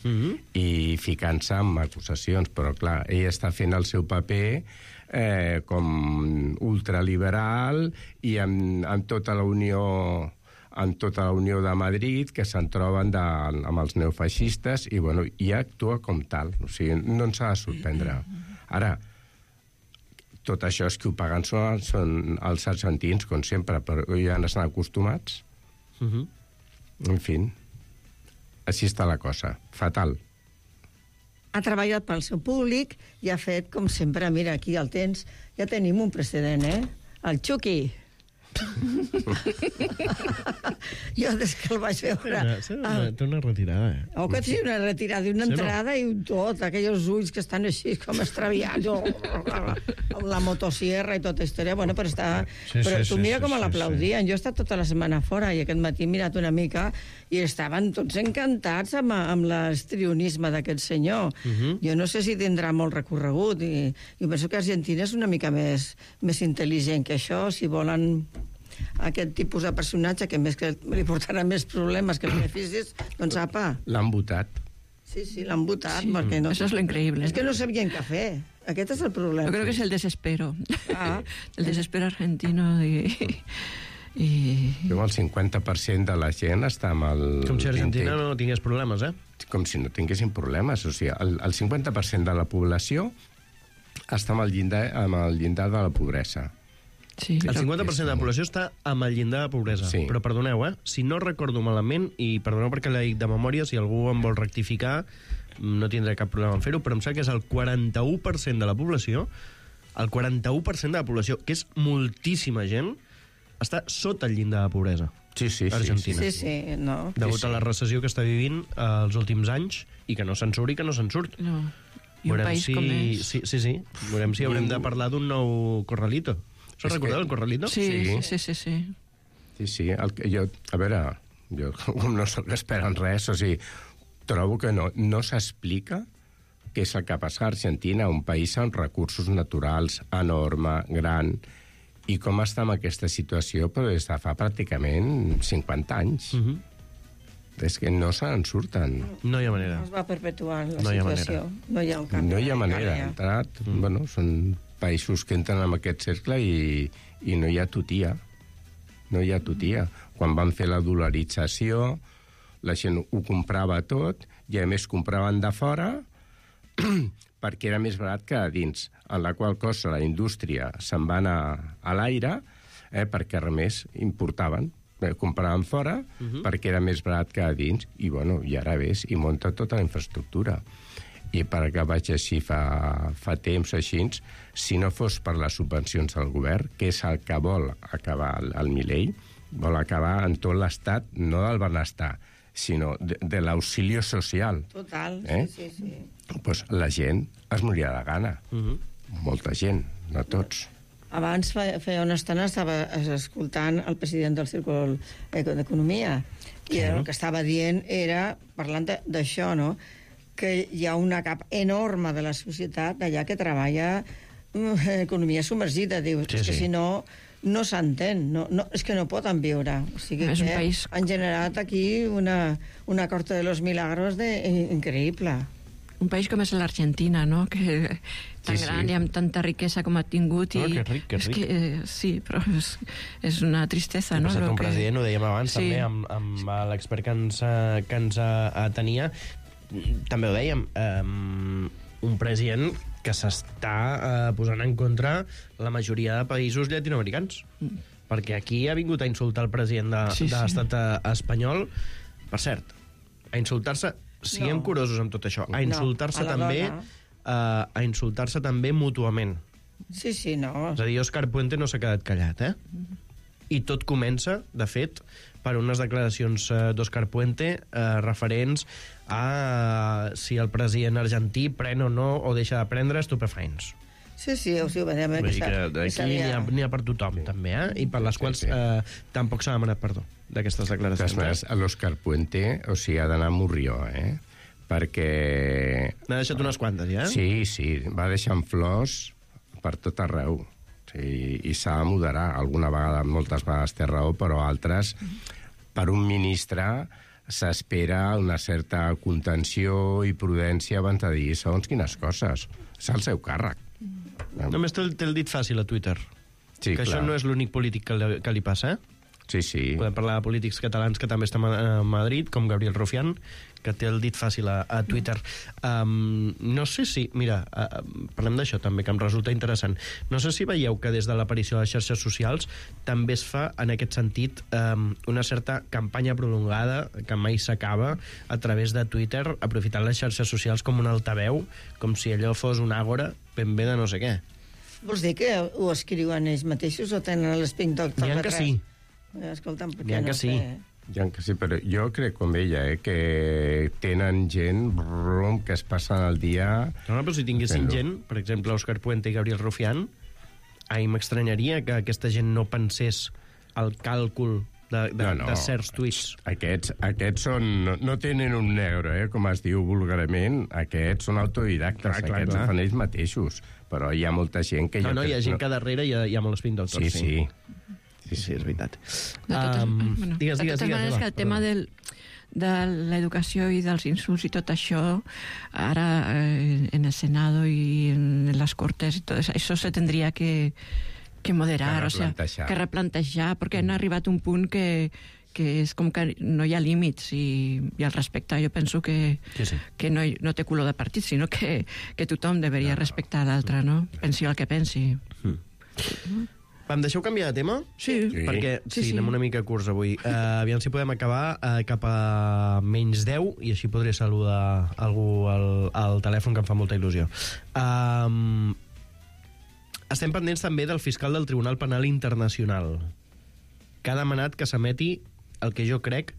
S12: i ficant-se en acusacions. Però, clar, ell està fent el seu paper com ultraliberal i amb tota la Unió de Madrid, que se'n troben amb els neofeixistes, i bueno, i actua com tal. O sigui, no ens ha de sorprendre. Ara, tot això és que ho paguen són els argentins, com sempre, però ja estan acostumats. En fi, així està la cosa. Fatal.
S3: Ha treballat pel seu públic i ha fet, com sempre, mira, aquí el tens, ja tenim un precedent, el Chucky. Jo, des que el vaig veure...
S4: Té una retirada,
S3: Oh, que té una retirada, una entrada i un tot, aquells ulls que estan així com extraviats, amb la motosierra i tota història, bueno, però està... Però tu mira com l'aplaudien. Jo he estat tota la setmana fora i aquest matí he mirat una mica i estaven tots encantats amb l'estrionisme d'aquest senyor. Jo no sé si tindrà molt recorregut i penso que Argentina és una mica més intel·ligent que això, si volen aquest tipus de personatge que més que li portarà més problemes que beneficis, doncs apa.
S12: L'han votat.
S3: Sí, l'han votat. Sí, perquè no,
S11: eso es lo increíble.
S3: És que no sabien què fer. Aquest és el problema.
S11: Yo creo que es el desespero. El desespero argentino
S12: el 50% de la gent està amb el...
S4: Com si Argentina no tingués problemes,
S12: Com si no tinguessin problemes. O sigui, el 50% de la població està amb el llindar de la pobresa.
S4: Sí. El 50% de la població està amb el llindar de pobresa. Sí. Però perdoneu, si no recordo malament, i perdoneu perquè la dic de memòria, si algú em vol rectificar, no tindré cap problema en fer-ho, però em sembla que és el 41% de la població el 41% de la població, que és moltíssima gent, està sota el llindar de pobresa.
S12: Sí,
S4: Argentina.
S3: Sí, no.
S4: Degut a la recessió que està vivint els últims anys i que no se'n surt i que no se'n surt.
S11: No. I un país com és.
S4: Sí. Veurem si haurem de parlar d'un nou Corralito. Us recordeu el Corralito?
S11: Sí.
S12: Sí, a veure, jo com no soc expert en res, o sigui, trobo que no s'explica què és el que passa a Argentina, un país amb recursos naturals enorme, gran, i com està en aquesta situació però des de fa pràcticament 50 anys. És que no se'n surten.
S4: No hi ha manera.
S3: Es va perpetuant la situació. No hi ha un canvi.
S12: No hi ha manera. Bueno, són països que entren en aquest cercle i no hi ha tutia. No hi ha tutia. Quan van fer la dolarització, la gent ho comprava tot i, a més, compraven de fora perquè era més barat que a dins, en la qual cosa la indústria se'n va anar a l'aire perquè, a més, importaven. Compraven fora perquè era més barat que a dins i, bueno, i ara ves, i munta tota la infraestructura. I perquè vaig així fa temps així, si no fos per les subvencions del govern, que és el que vol acabar el Milei, vol acabar en tot l'estat, no del benestar, sinó de l'auxilio social.
S3: Total, sí.
S12: Pues la gent es moria de gana. Molta gent, no tots.
S3: Abans, feia una estona, estava escoltant el president del Círculo d'Economia i el que estava dient era, parlant d'això, no?, que hi ha una cap enorme de la societat allà que treballa economia submergida, diu. És que si no s'entén, és que no poden viure. O sigui que han generat aquí una corte de los milagros increïble.
S11: Un país com és l'Argentina, no?, que tan gran i amb tanta riquesa com ha tingut.
S4: Que ric.
S11: Sí, però és una tristesa, no?
S4: Un president, ho dèiem abans, també, amb l'expert que ens tenia, també ho dèiem, un president que s'està posant en contra la majoria de països llatinoamericans. Perquè aquí ha vingut a insultar el president de l'estat espanyol, per cert, a insultar-se. Siguem curosos amb tot això. A insultar-se també mútuament.
S3: Sí, no.
S4: És a dir, Òscar Puente no s'ha quedat callat, I tot comença, de fet, per unes declaracions d'Òscar Puente referents a si el president argentí pren o no o deixa de prendre estupefaents.
S3: Sí, ho veiem.
S4: Vull dir que d'aquí n'hi ha per tothom, també, i per les quals tampoc s'ha demanat perdó d'aquestes declaracions.
S12: L'Òscar Puente, o sigui, ha d'anar a Morrió, perquè...
S4: N'ha deixat unes quantes, ja?
S12: Sí, va deixant flors per tot arreu. I s'ha de moderar. Alguna vegada, moltes vegades té raó, però altres, per un ministre, s'espera una certa contenció i prudència abans de dir segons quines coses. És el seu càrrec.
S4: Només té el dit fàcil a Twitter.
S12: Sí,
S4: que això no és l'únic polític que li passa,
S12: Sí.
S4: Podem parlar de polítics catalans que també estan a Madrid, com Gabriel Rufián, que té el dit fàcil a Twitter. No sé si... Mira, parlem d'això també, que em resulta interessant. No sé si veieu que des de l'aparició de les xarxes socials també es fa, en aquest sentit, una certa campanya prolongada, que mai s'acaba, a través de Twitter, aprofitant les xarxes socials com un altaveu, com si allò fos un àgora ben bé de no sé què.
S3: Vols dir que ho escriuen ells mateixos o tenen l'Spink Doctor?
S4: N'hi ha que sí.
S3: Escolta'm,
S12: N'hi ha que sí, però jo crec com ella, que tenen gent que es passen el dia...
S4: No, però si tinguessin gent, per exemple, Òscar Puente i Gabriel Rufián, m'estranyaria que aquesta gent no pensés el càlcul de certs tuits.
S12: Aquests no tenen un negro, com es diu vulgarment. Aquests són autodidactes, aquests ho fan ells mateixos. Però hi ha molta gent que...
S4: No, hi ha gent que darrere hi ha molts Spink Doctors.
S12: Sí,
S4: és veritat.
S11: De totes maneres, que el tema de l'educació i dels insults i tot això, ara en el Senado i en les Cortes i tot això se tendria que moderar, que replantejar, perquè han arribat a un punt que és com que no hi ha límits i al respecte jo penso que no té color de partit, sinó que tothom deveria respectar l'altre, no? Pensi el que pensi.
S4: Em deixeu canviar de tema?
S11: Sí.
S4: Perquè anem una mica curts avui. Aviam si podem acabar cap a menys 10 i així podré saludar algú al telèfon, que em fa molta il·lusió. Estem pendents també del fiscal del Tribunal Penal Internacional, que ha demanat que s'emeti el que jo crec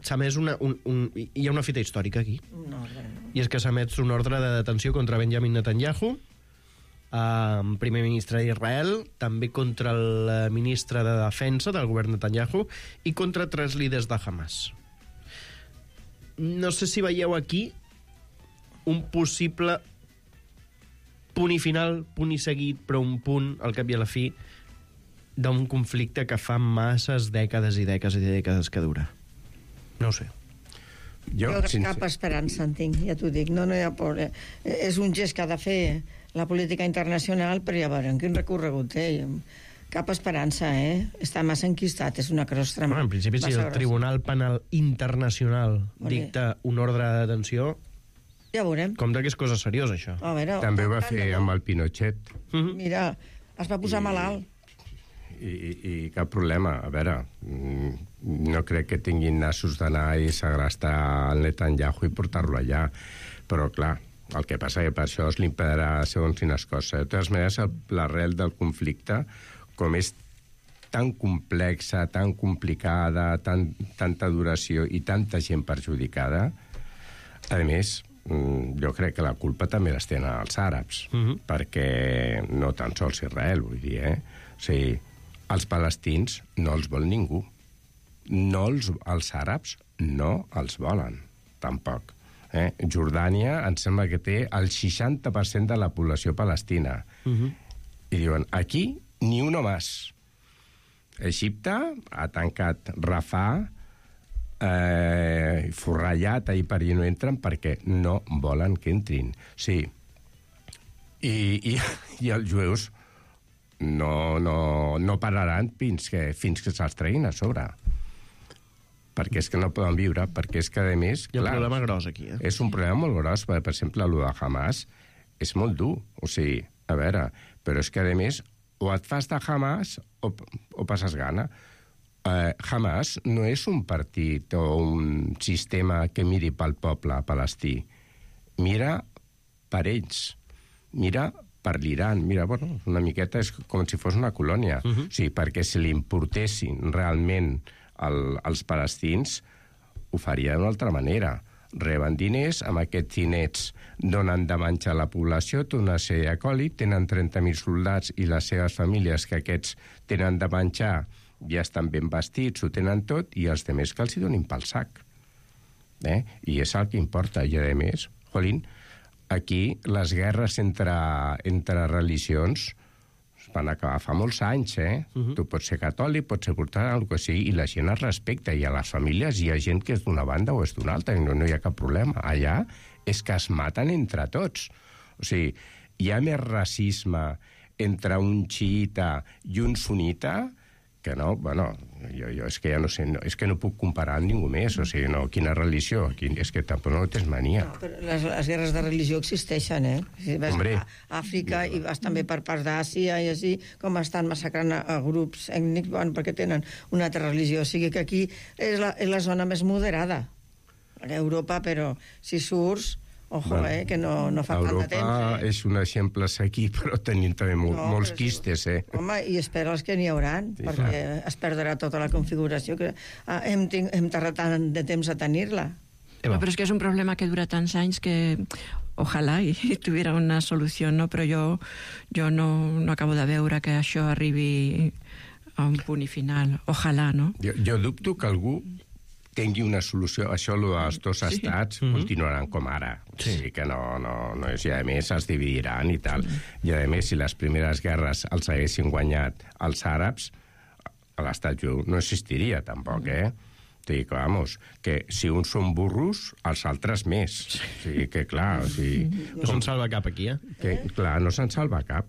S4: s'ha emès hi ha una fita històrica aquí. I és que s'ha emès un ordre de detenció contra Benjamin Netanyahu, primer ministre d'Israel, també contra el ministre de Defensa del govern Netanyahu i contra 3 líders de Hamas. No sé si veieu aquí un possible punt i final, punt i seguit, però un punt, al cap i a la fi, d'un conflicte que fa masses dècades i dècades i dècades que dura. No ho sé.
S3: Jo cap esperança en tinc, ja t'ho dic. No hi ha por. És un gest que ha de fer la política internacional, però ja veurem quin recorregut té. Cap esperança, Està massa enquistat, és una crostra.
S4: En principi, si el Tribunal Penal Internacional dicta un ordre de detenció,
S3: ja veurem.
S4: Compte que és cosa seriosa, això.
S12: També ho va fer amb el Pinochet.
S3: Mira, es va posar malalt.
S12: I cap problema. A veure, no crec que tinguin nassos d'anar i segrestar el Netanyahu i portar-lo allà. Però, clar, el que passa que per això es l'impedirà segons quines coses. De totes maneres, l'arrel del conflicte, com és tan complexa, tan complicada, tanta duració i tanta gent perjudicada, a més, jo crec que la culpa també les tenen els àrabs, perquè no tan sols Israel, vull dir, O sigui, els palestins no els vol ningú. Els àrabs no els volen, tampoc. Jordània em sembla que té el 60% de la població palestina. I diuen, aquí ni uno más. Egipte ha tancat Rafah, forrellat ahir per allà no entren perquè no volen que entrin. Sí. I els jueus no pararan fins que se'ls treguin a sobre. Perquè és que no poden viure, perquè és que, a més...
S4: Hi ha un problema gros aquí,
S12: És un problema molt gros, per exemple, el de Hamas és molt dur. O sigui, a veure, però és que, a més, o et fas de Hamas o passes gana. Hamas no és un partit o un sistema que miri pel poble palestí. Mira per ells. Mira per l'Iran. Mira, bueno, una miqueta és com si fos una colònia. O sigui, perquè si li importessin realment els palestins, ho farien d'una altra manera. Reben diners, amb aquests diners donen de menjar a la població, té una sèrie d'acòlit, tenen 30.000 soldats i les seves famílies que aquests tenen de menjar ja estan ben vestits, ho tenen tot, i els demés que els hi donin pel sac. I és el que importa. I, a més, jolín, aquí les guerres entre religions van acabar fa molts anys, Tu pots ser catòlic, pots ser portat, el que sigui, i la gent es respecta, i a les famílies hi ha gent que és d'una banda o és d'una altra, i no hi ha cap problema. Allà és que es maten entre tots. O sigui, hi ha més racisme entre un xiita i un sunita que no, bueno, jo és que ja no sé, és que no puc comparar amb ningú més, o sigui, no, quina religió, és que tampoc no tens mania.
S3: No, però les guerres de religió existeixen, Si vas a Àfrica i vas també per part d'Àsia i així, com estan massacrant a grups ètnics, bueno, perquè tenen una altra religió, o sigui que aquí és la zona més moderada, a Europa, però si surts... Ojo, que no fa tant de temps.
S12: Europa és un exemple a seguir, però tenim també molts quistes,
S3: Home, i espera els que n'hi hauran, perquè es perdrà tota la configuració, que hem tardat tant de temps a tenir-la.
S11: Però és que és un problema que dura tants anys que ojalà i tuviera una solució, no? Però jo no acabo de veure que això arribi a un punt i final. Ojalà, no?
S12: Jo dubto que algú tingui una solució. Això, els dos estats continuaran com ara. Sí, que no és... I, a més, es dividiran i tal. I, a més, si les primeres guerres els haguessin guanyat els àrabs, l'estat jueu no existiria, tampoc, Dic, vamos, que si uns són burros, els altres més. O sigui, que clar... O sigui,
S4: no se'n salva cap aquí,
S12: Que, clar, no se'n salva cap.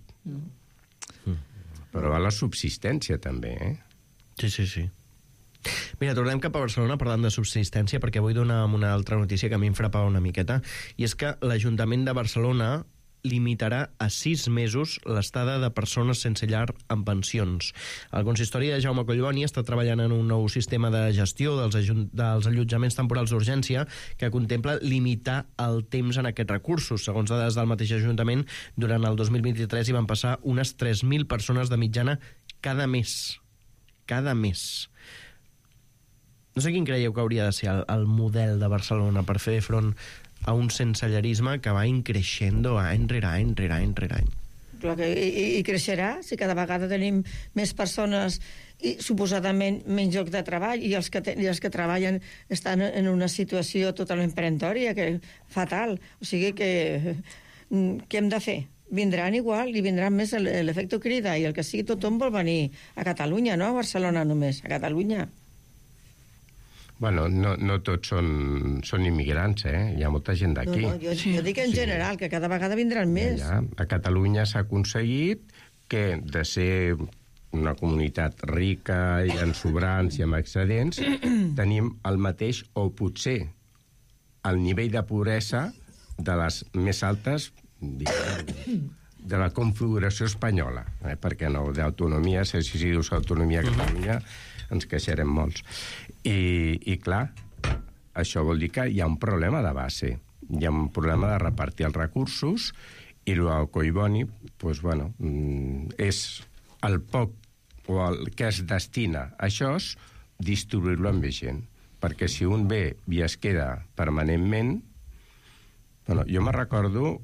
S12: Però va la subsistència, també,
S4: Sí. Mira, tornem cap a Barcelona parlant de subsistència, perquè vull donar una altra notícia que a mi em frapava una miqueta, i és que l'Ajuntament de Barcelona limitarà a 6 mesos l'estada de persones sense llar en pensions. El consistori de Jaume Collboni està treballant en un nou sistema de gestió dels allotjaments temporals d'urgència que contempla limitar el temps en aquests recursos. Segons dades del mateix Ajuntament, durant el 2023 hi van passar unes 3.000 persones de mitjana cada mes. Cada mes. No sé quin creieu que hauria de ser el model de Barcelona per fer front a un sensellarisme que va increixendo any rere any, rere any, rere any.
S3: Clar que i creixerà si cada vegada tenim més persones i suposadament menys lloc de treball i els que treballen estan en una situació totalment peremptòria, que fatal. O sigui que què hem de fer? Vindran igual i vindran més l'efecte crida i el que sigui tothom vol venir a Catalunya, no a Barcelona només, a Catalunya.
S12: Bueno, no tots són immigrants, Hi ha molta gent d'aquí.
S3: No, jo dic en general, que cada vegada vindran més.
S12: A Catalunya s'ha aconseguit que de ser una comunitat rica i en sobrants i amb excedents, tenim el mateix o potser el nivell de pobresa de les més altes de la configuració espanyola, perquè no, d'autonomia, si dius autonomia a Catalunya, ens queixarem molts. I clar, això vol dir que hi ha un problema de base, hi ha un problema de repartir els recursos, i el Collboni, doncs, bueno, és el poc o el que es destina a això, distribuir-lo amb més gent. Perquè si un ve i es queda permanentment... Bueno, jo me recordo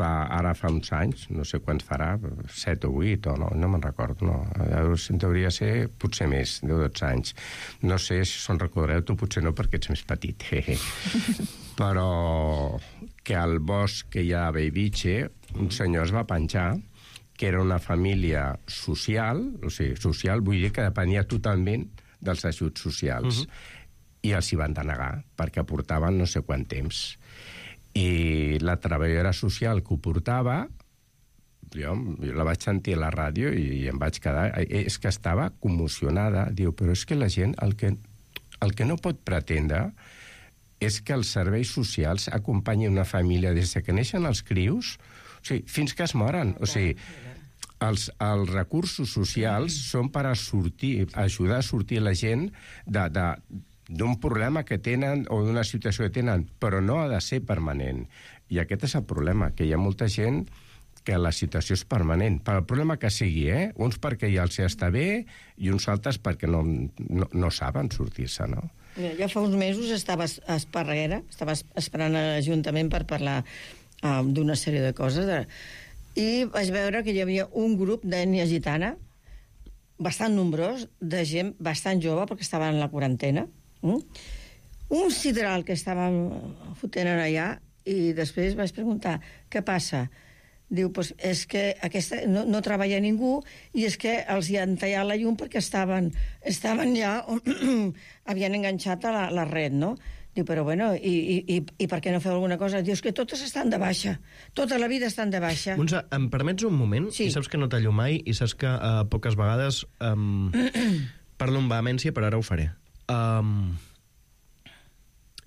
S12: ara fa uns anys, no sé quants farà, 7 o 8, o no me'n recordo, no. Hauria ser potser més, 10 o 12 anys. No sé si se'n recordareu, tu potser no, perquè ets més petit. Però que al bosc que hi ha a Bellvitge, un senyor es va penjar que era una família social, o sigui, social, vull dir que depenia totalment dels ajuts socials. I els hi van denegar, perquè portaven no sé quant temps. I la treballadora social que ho portava, jo la vaig sentir a la ràdio i em vaig quedar... És que estava commocionada. Diu, però és que la gent el que no pot pretendre és que els serveis socials acompanyin una família des que neixen els crios, o sigui, fins que es moren. O sigui, els recursos socials són per ajudar a sortir la gent d'un problema que tenen o d'una situació que tenen, però no ha de ser permanent. I aquest és el problema, que hi ha molta gent que la situació és permanent, per el problema que sigui, Uns perquè ja els està bé i uns altres perquè no saben sortir-se, no?
S3: Jo fa uns mesos estava a Esparreguera, estava esperant a l'Ajuntament per parlar d'una sèrie de coses, i vaig veure que hi havia un grup d'ètnia gitana, bastant nombrós, de gent bastant jove, perquè estaven en la quarantena, un sidral que estàvem fotent allà, i després vaig preguntar, què passa? Diu, pues, és que no treballa ningú i és que els hi han tallat la llum perquè estaven ja on havien enganxat a la red, no? Diu, però bueno, i per què no feu alguna cosa? Diu, és que totes estan de baixa. Tota la vida estan de baixa.
S4: Montse, em permets un moment? Sí. I saps que no tallo mai i saps que poques vegades parlo amb vehemència, però ara ho faré.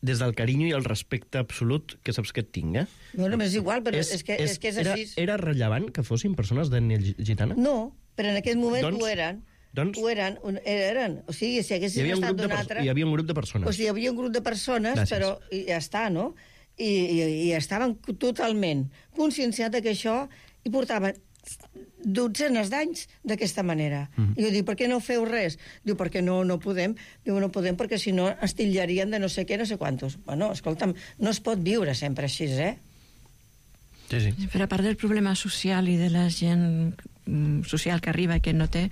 S4: Des del carinyo i el respecte absolut que saps que et tinc,
S3: Bueno, és igual, però és que és així.
S4: Era rellevant que fossin persones d'ètnia gitana?
S3: No, però en aquest moment ho eren. Eren. O sigui, si haguessin estat d'un altre...
S4: Hi havia un grup de persones.
S3: O sigui, hi havia un grup de persones, però ja està, no? I estaven totalment conscienciats que això i portaven dotzenes d'anys d'aquesta manera. I jo dic, per què no feu res? Diu, perquè no podem. Diu, no podem perquè si no ens tillarien de no sé què, no sé quantos. Bueno, escolta'm, no es pot viure sempre així,
S4: Sí.
S11: Però a part del problema social i de la gent social que arriba i que no té,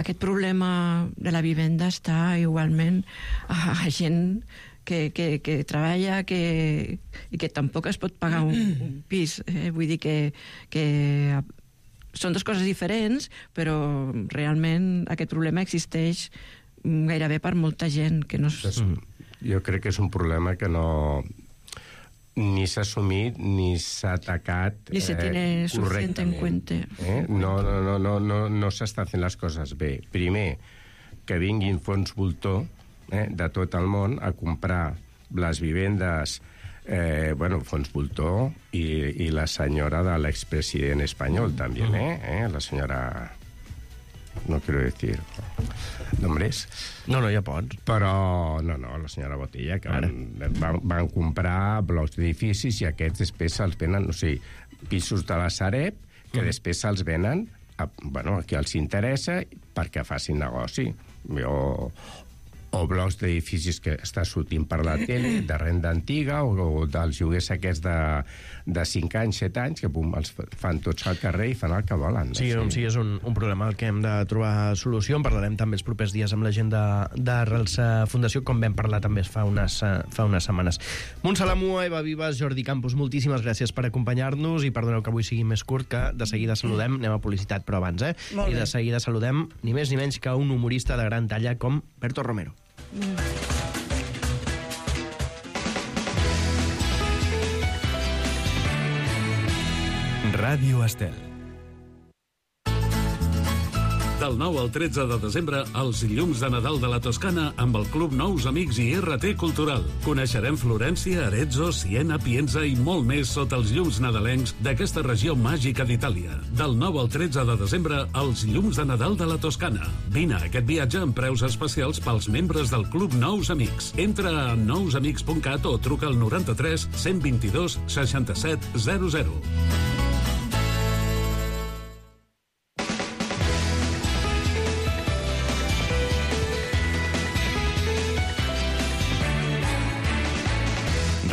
S11: aquest problema de la vivenda està igualment a gent que treballa i que tampoc es pot pagar un pis. Vull dir que són dues coses diferents, però realment aquest problema existeix gairebé per molta gent que no...
S12: Jo crec que és un problema que no... ni s'ha assumit ni s'ha atacat
S11: ni se tiene suficiente en cuenta.
S12: No s'està fent les coses bé. Primer, que vinguin fons voltor de tot el món a comprar les vivendes Fons Voltor i la senyora de l'expresident espanyol, també, la senyora... No quiero decir nombres.
S4: No, ja pots.
S12: Però, no, la senyora Botella, que van comprar blocs d'edificis i aquests després se'ls venen, pisos de la Sareb, que després se'ls venen a qui els interessa perquè facin negoci. O blocs d'edificis que està sortint per la tele, de renda antiga, o dels lloguers aquests de 5 anys, 7 anys, que els fan tots al carrer i fan el que volen.
S4: Sí, és un problema al que hem de trobar solució. En parlarem també els propers dies amb la gent d'Arrels Fundació, com vam parlar també fa unes setmanes. Montse Lamua, Eva Vives, Jordi Campos, moltíssimes gràcies per acompanyar-nos i perdoneu que avui sigui més curt, que de seguida saludem, anem a publicitat però abans, i de seguida saludem ni més ni menys que un humorista de gran talla com Berto Romero.
S5: Ràdio Estel.
S10: Del 9 al 13 de desembre, els llums de Nadal de la Toscana amb el Club Nous Amics i RT Cultural. Coneixerem Florència, Arezzo, Siena, Pienza i molt més sota els llums nadalencs d'aquesta regió màgica d'Itàlia. Del 9 al 13 de desembre, els llums de Nadal de la Toscana. Vine a aquest viatge amb preus especials pels membres del Club Nous Amics. Entra a nousamics.cat o truca al 93 122 67 00.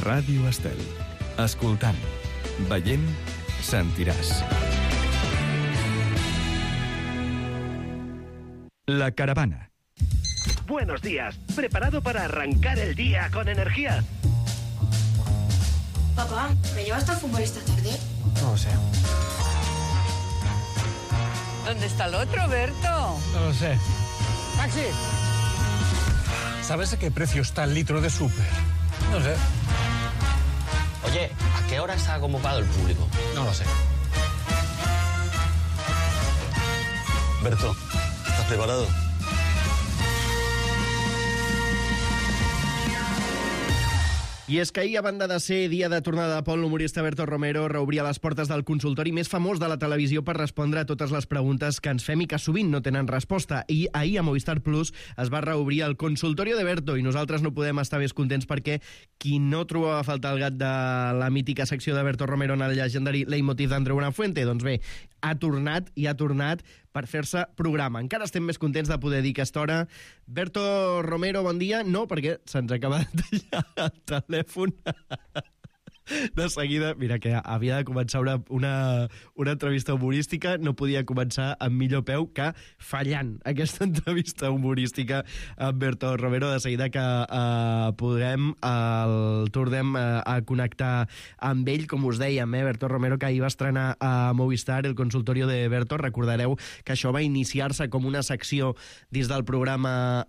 S5: Ràdio Estel. Escoltant, veient, sentiràs. La caravana.
S13: Buenos días. ¿Preparado para arrancar el día con energía?
S14: Papá, ¿me llevas al fútbol esta tarde?
S15: No lo sé.
S16: ¿Dónde está el otro, Berto?
S15: No lo sé. ¡Taxi! ¿Sabes a qué precio está el litro de súper? No sé.
S17: Oye, ¿a qué hora está convocado el público?
S15: No lo sé.
S17: Berto, ¿estás preparado?
S4: I és que ahir, a banda de ser dia de tornada de Pol, l'humorista Berto Romero reobria les portes del consultori més famós de la televisió per respondre a totes les preguntes que ens fem i que sovint no tenen resposta. I ahir a Movistar Plus es va reobrir el consultorio de Berto i nosaltres no podem estar més contents perquè qui no trobava a faltar el gat de la mítica secció de Berto Romero en el llegendari Leitmotiv d'Andreu Buenafuente, doncs bé, ha tornat per fer-se programa. Encara estem més contents de poder dir aquesta hora. Berto Romero, bon dia. No, perquè se'ns acaba de tallar el telèfon. De seguida, mira, que havia de començar una entrevista humorística, no podia començar amb millor peu que fallant aquesta entrevista humorística amb Berto Romero. De seguida que tornem a connectar amb ell, com us dèiem, Berto Romero, que ahir va estrenar a Movistar el consultorio de Berto. Recordareu que això va iniciar-se com una secció dins del programa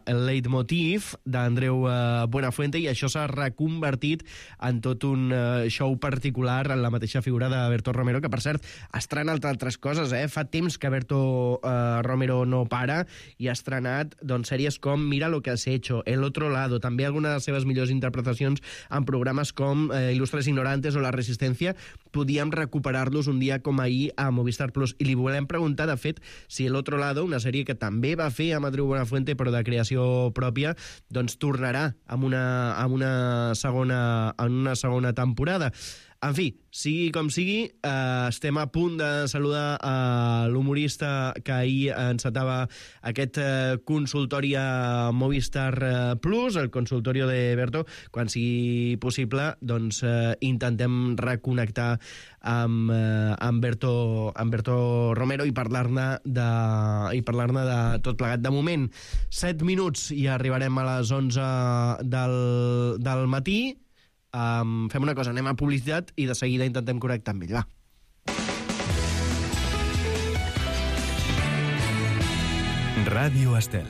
S4: El Leitmotiv d'Andreu Buenafuente, i això s'ha reconvertit en tot un show particular en la mateixa figura de Berto Romero, que per cert ha estrenat altres coses, fa temps que Berto Romero no para, i ha estrenat sèries com Mira lo que has hecho, El otro lado, també algunes de les seves millors interpretacions en programes com Ilustres Ignorantes o La Resistencia. Podíem recuperar-los un dia com ahir a Movistar Plus, i li volem preguntar, de fet, si El otro lado, una sèrie que també va fer amb Andreu Buenafuente però de creació pròpia, doncs tornarà amb una segona temporada. En fi, sigui com sigui, estem a punt de saludar a l'humorista que ahir encetava aquest consultori a Movistar Plus, el consultorio de Berto. Quan sigui possible, doncs intentem reconnectar amb Berto Romero i parlar-ne de tot plegat. De moment, 7 minuts i arribarem a les 11 del matí. Fem una cosa, anem a publicitat i de seguida intentem connectar amb ell, va.
S5: Ràdio Estel.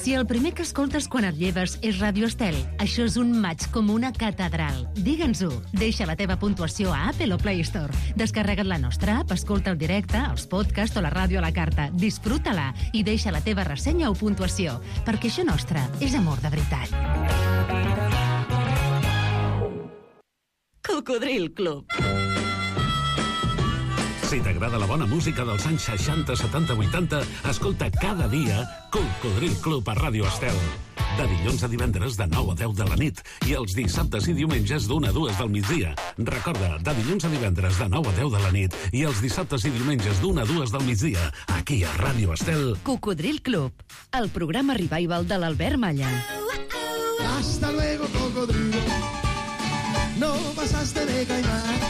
S6: Si el primer que escoltes quan et lleves és Ràdio Estel, això és un maig com una catedral. Digue'ns-ho. Deixa la teva puntuació a Apple o Play Store. Descarrega't la nostra app, escolta el directe, els podcasts o la ràdio a la carta. Disfruta-la i deixa la teva ressenya o puntuació, perquè això nostre és amor de veritat.
S18: Cocodril Club.
S10: Si t'agrada la bona música dels anys 60, 70, 80, escolta cada dia Cocodril Club a Ràdio Estel. De dilluns a divendres de 9 a 10 de la nit i els dissabtes i diumenges d'1 a 2 del migdia. Recorda, de dilluns a divendres de 9 a 10 de la nit i els dissabtes i diumenges d'1 a 2 del migdia, aquí a Ràdio Estel.
S18: Cocodril Club, el programa revival de l'Albert Malla.
S19: Hasta luego, cocodrilo. No pasaste de caimán.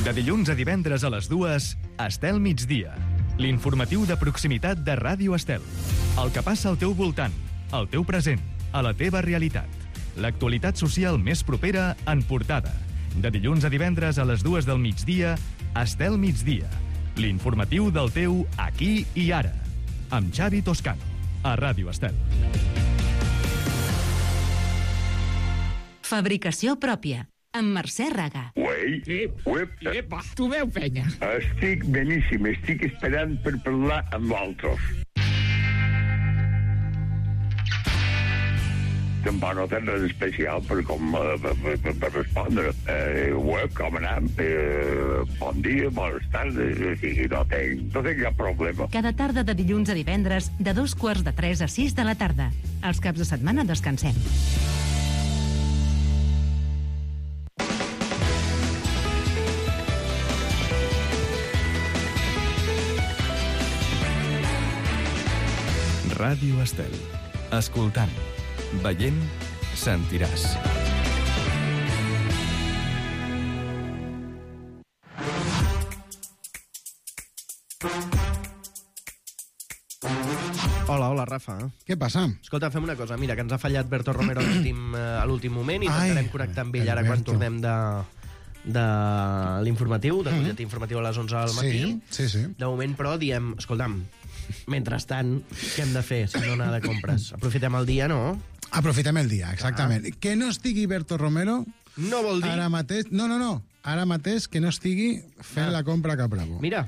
S5: De dilluns a divendres a les 2, Estel migdia. L'informatiu de proximitat de Ràdio Estel. El que passa al teu voltant, al teu present, a la teva realitat. L'actualitat social més propera en portada. De dilluns a divendres a les 2 del migdia, Estel migdia. L'informatiu del teu aquí i ara. Amb Xavi Toscano, a Ràdio Estel.
S6: Fabricació pròpia, amb Mercè Raga.
S20: Uei,
S21: Tu veu, penya?
S20: estic beníssim, estic esperant per parlar amb altres. Tampoc no tens res especial per respondre. Com anem? Bon dia, bones tardes, no tinc cap problema.
S6: Cada tarda de dilluns a divendres, de 2:45 a 6 de la tarda. Els caps de setmana descansem.
S5: Ràdio Estel. Escoltant, veient, sentiràs.
S4: Hola, Rafa.
S2: Què passa?
S4: Escolta, fem una cosa. Mira, que ens ha fallat Berto Romero a l'últim moment i intentarem connectar amb ell ara quan tornem de l'informatiu, del butlletí informatiu a les 11 del matí.
S2: Sí.
S4: De moment, però, diem, escolta'm, mentrestant, què hem de fer si no anar de compres? Aprofitem el dia, no?
S2: Aprofitem el dia, exactament. Que no estigui Berto Romero...
S4: No vol dir...
S2: Ara mateix... No. Ara mateix que no estigui fent la compra a Cap Bravo.
S4: Mira.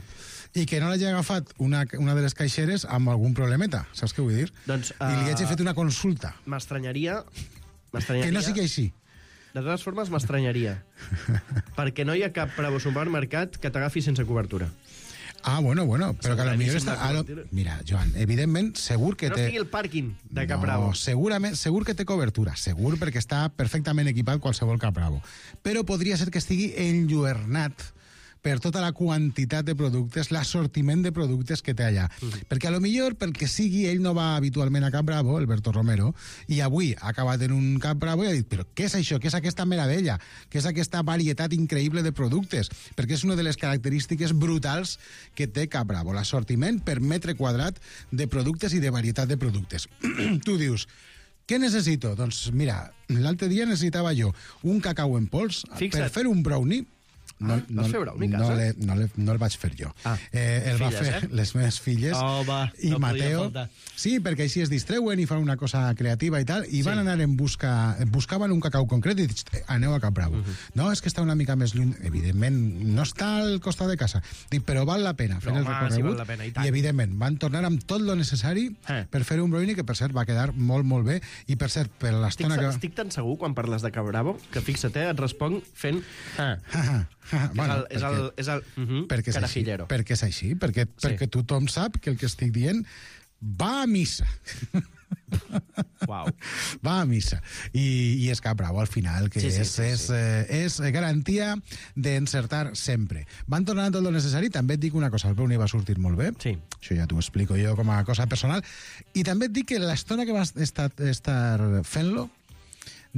S2: I que no l'hagi agafat una de les caixeres amb algun problemeta, saps què vull dir?
S4: Doncs,
S2: I li hagi fet una consulta.
S4: M'estranyaria...
S2: Que no sigui així.
S4: De totes formes, m'estranyaria. Perquè no hi ha cap Bravo supermercat que t'agafi sense cobertura.
S2: Ah, bueno, però que potser està... Mira, Joan, evidentment, segur que
S4: no
S2: té...
S4: No estigui el pàrquing de Cap Bravo.
S2: No, segur que té cobertura, segur, perquè està perfectament equipat qualsevol Cap Bravo. Però podria ser que estigui enlluernat per tota la quantitat de productes, l'assortiment de productes que té allà. Perquè a lo millor, pel que sigui, ell no va habitualment a Cap Bravo, el Berto Romero, i avui ha acabat en un Cap Bravo i ha dit, però què és això? Què és aquesta meravella? Què és aquesta varietat increïble de productes? Perquè és una de les característiques brutals que té Cap Bravo, l'assortiment per metre quadrat de productes i de varietat de productes. Tu dius, què necessito? Doncs mira, l'altre dia necessitava jo un cacau en pols per fer un brownie. No el vaig fer jo. El va fer les meves filles i Mateo. Sí, perquè així es distreuen i fan una cosa creativa i tal, i van anar buscaven un cacau concret i dic, aneu a Cap Bravo. No, és que està una mica més lluny. Evidentment, no està al costat de casa. Dic, però val la pena fer el recorregut. I evidentment, van tornar amb tot lo necessari per fer un brownie que, per cert, va quedar molt, molt bé. I, per cert, per l'estona que...
S4: Estic tan segur, quan parles de Cap Bravo, que fixa't, et responc fent...
S2: Bueno, perquè és així, perquè tothom sap que el que estic dient va a missa.
S4: Wow.
S2: Va a missa. I és Cap Bravo, al final, que és garantia d'encertar sempre. Van tornar tot el necessari. També et dic una cosa, el brownie va sortir molt bé.
S4: Sí.
S2: Això ja t'ho explico jo com a cosa personal. I també et dic que l'estona que vas estar fent-lo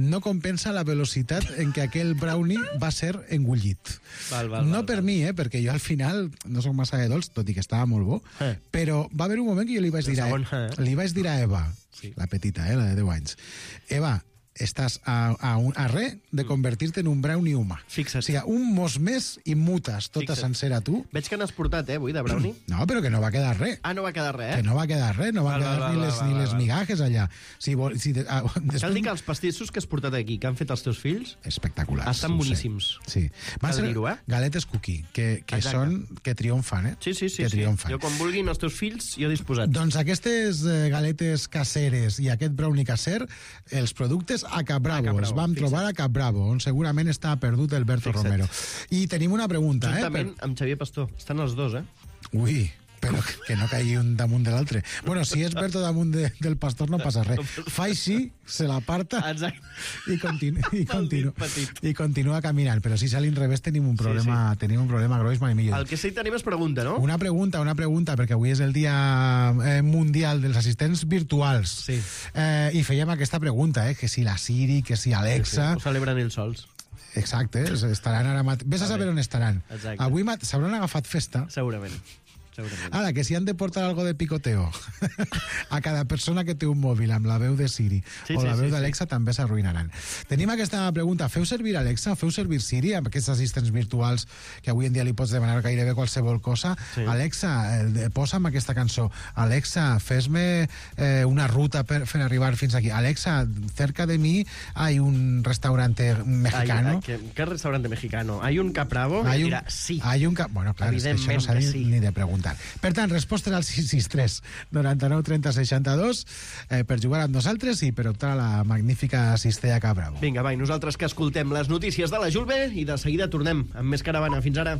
S2: no compensa la velocitat en què aquell brownie va ser engullit. No per mi, perquè jo al final no soc massa de dolç, tot i que estava molt bo, però va haver un moment que jo li vaig dir a Eva, la petita, la de 10 anys, Eva, estàs a res de convertir-te en un brownie humà.
S4: Fixa't.
S2: O sigui, un mos més i mutes tota sencera tu.
S4: Veig que n'has portat, avui, de brownie.
S2: No, però que no va quedar res.
S4: Ah, no va quedar res,
S2: Que no va quedar res, no va quedar ni les migajes allà.
S4: Cal dir que els pastissos que has portat aquí, que han fet els teus fills...
S2: Espectaculars.
S4: Estan boníssims.
S2: Sí. Van ser galetes cookie, que triomfan,
S4: Sí.
S2: Que triomfan.
S4: Jo, quan vulguin els teus fills, jo disposat.
S2: Doncs aquestes galetes caseres i aquest brownie caser, els productes a Capbravo. Els vam trobar a Capbravo, on segurament està perdut el Berto Romero. I tenim una pregunta,
S4: juntament amb Xavier Pastor. Estan els dos,
S2: Ui, però que no caigui un damunt de l'altre. Bueno, si és Berto damunt del Pastor no passa res. Fa així, se l'aparta i continua caminant. Però si a l'inrevés tenim un problema gros, mai millor.
S4: El que sí tenim és pregunta, no?
S2: Una pregunta, perquè avui és el dia mundial dels assistents virtuals.
S4: Sí.
S2: I fèiem aquesta pregunta, que si la Siri, que si Alexa...
S4: Ho celebren ells sols.
S2: Exacte, estaran ara mateix... Vés a saber on estaran. Avui s'hauran agafat festa.
S4: Segurament.
S2: Ara, que si han de portar algo de picoteo a cada persona que té un mòbil amb la veu de Siri o la veu d'Alexa també s'arruïnaran. Tenim aquesta pregunta. Feu servir Alexa? Feu servir Siri amb aquests assistents virtuals que avui en dia li pots demanar gairebé qualsevol cosa? Alexa, posa'm aquesta cançó. Alexa, fes-me una ruta per arribar fins aquí. Alexa, cerca de mi hay un restaurante mexicano.
S4: ¿Qué restaurante mexicano? ¿Hay un Capbravo?
S2: Dirà,
S4: sí.
S2: Bueno, clar, és que això no s'ha ni de preguntar. Per tant, respostes al 663 99 30 62 per jugar amb nosaltres i per optar a la magnífica cistella Capbravo.
S4: Vinga, nosaltres que escoltem les notícies de la Julbe i de seguida tornem amb més caravana. Fins ara.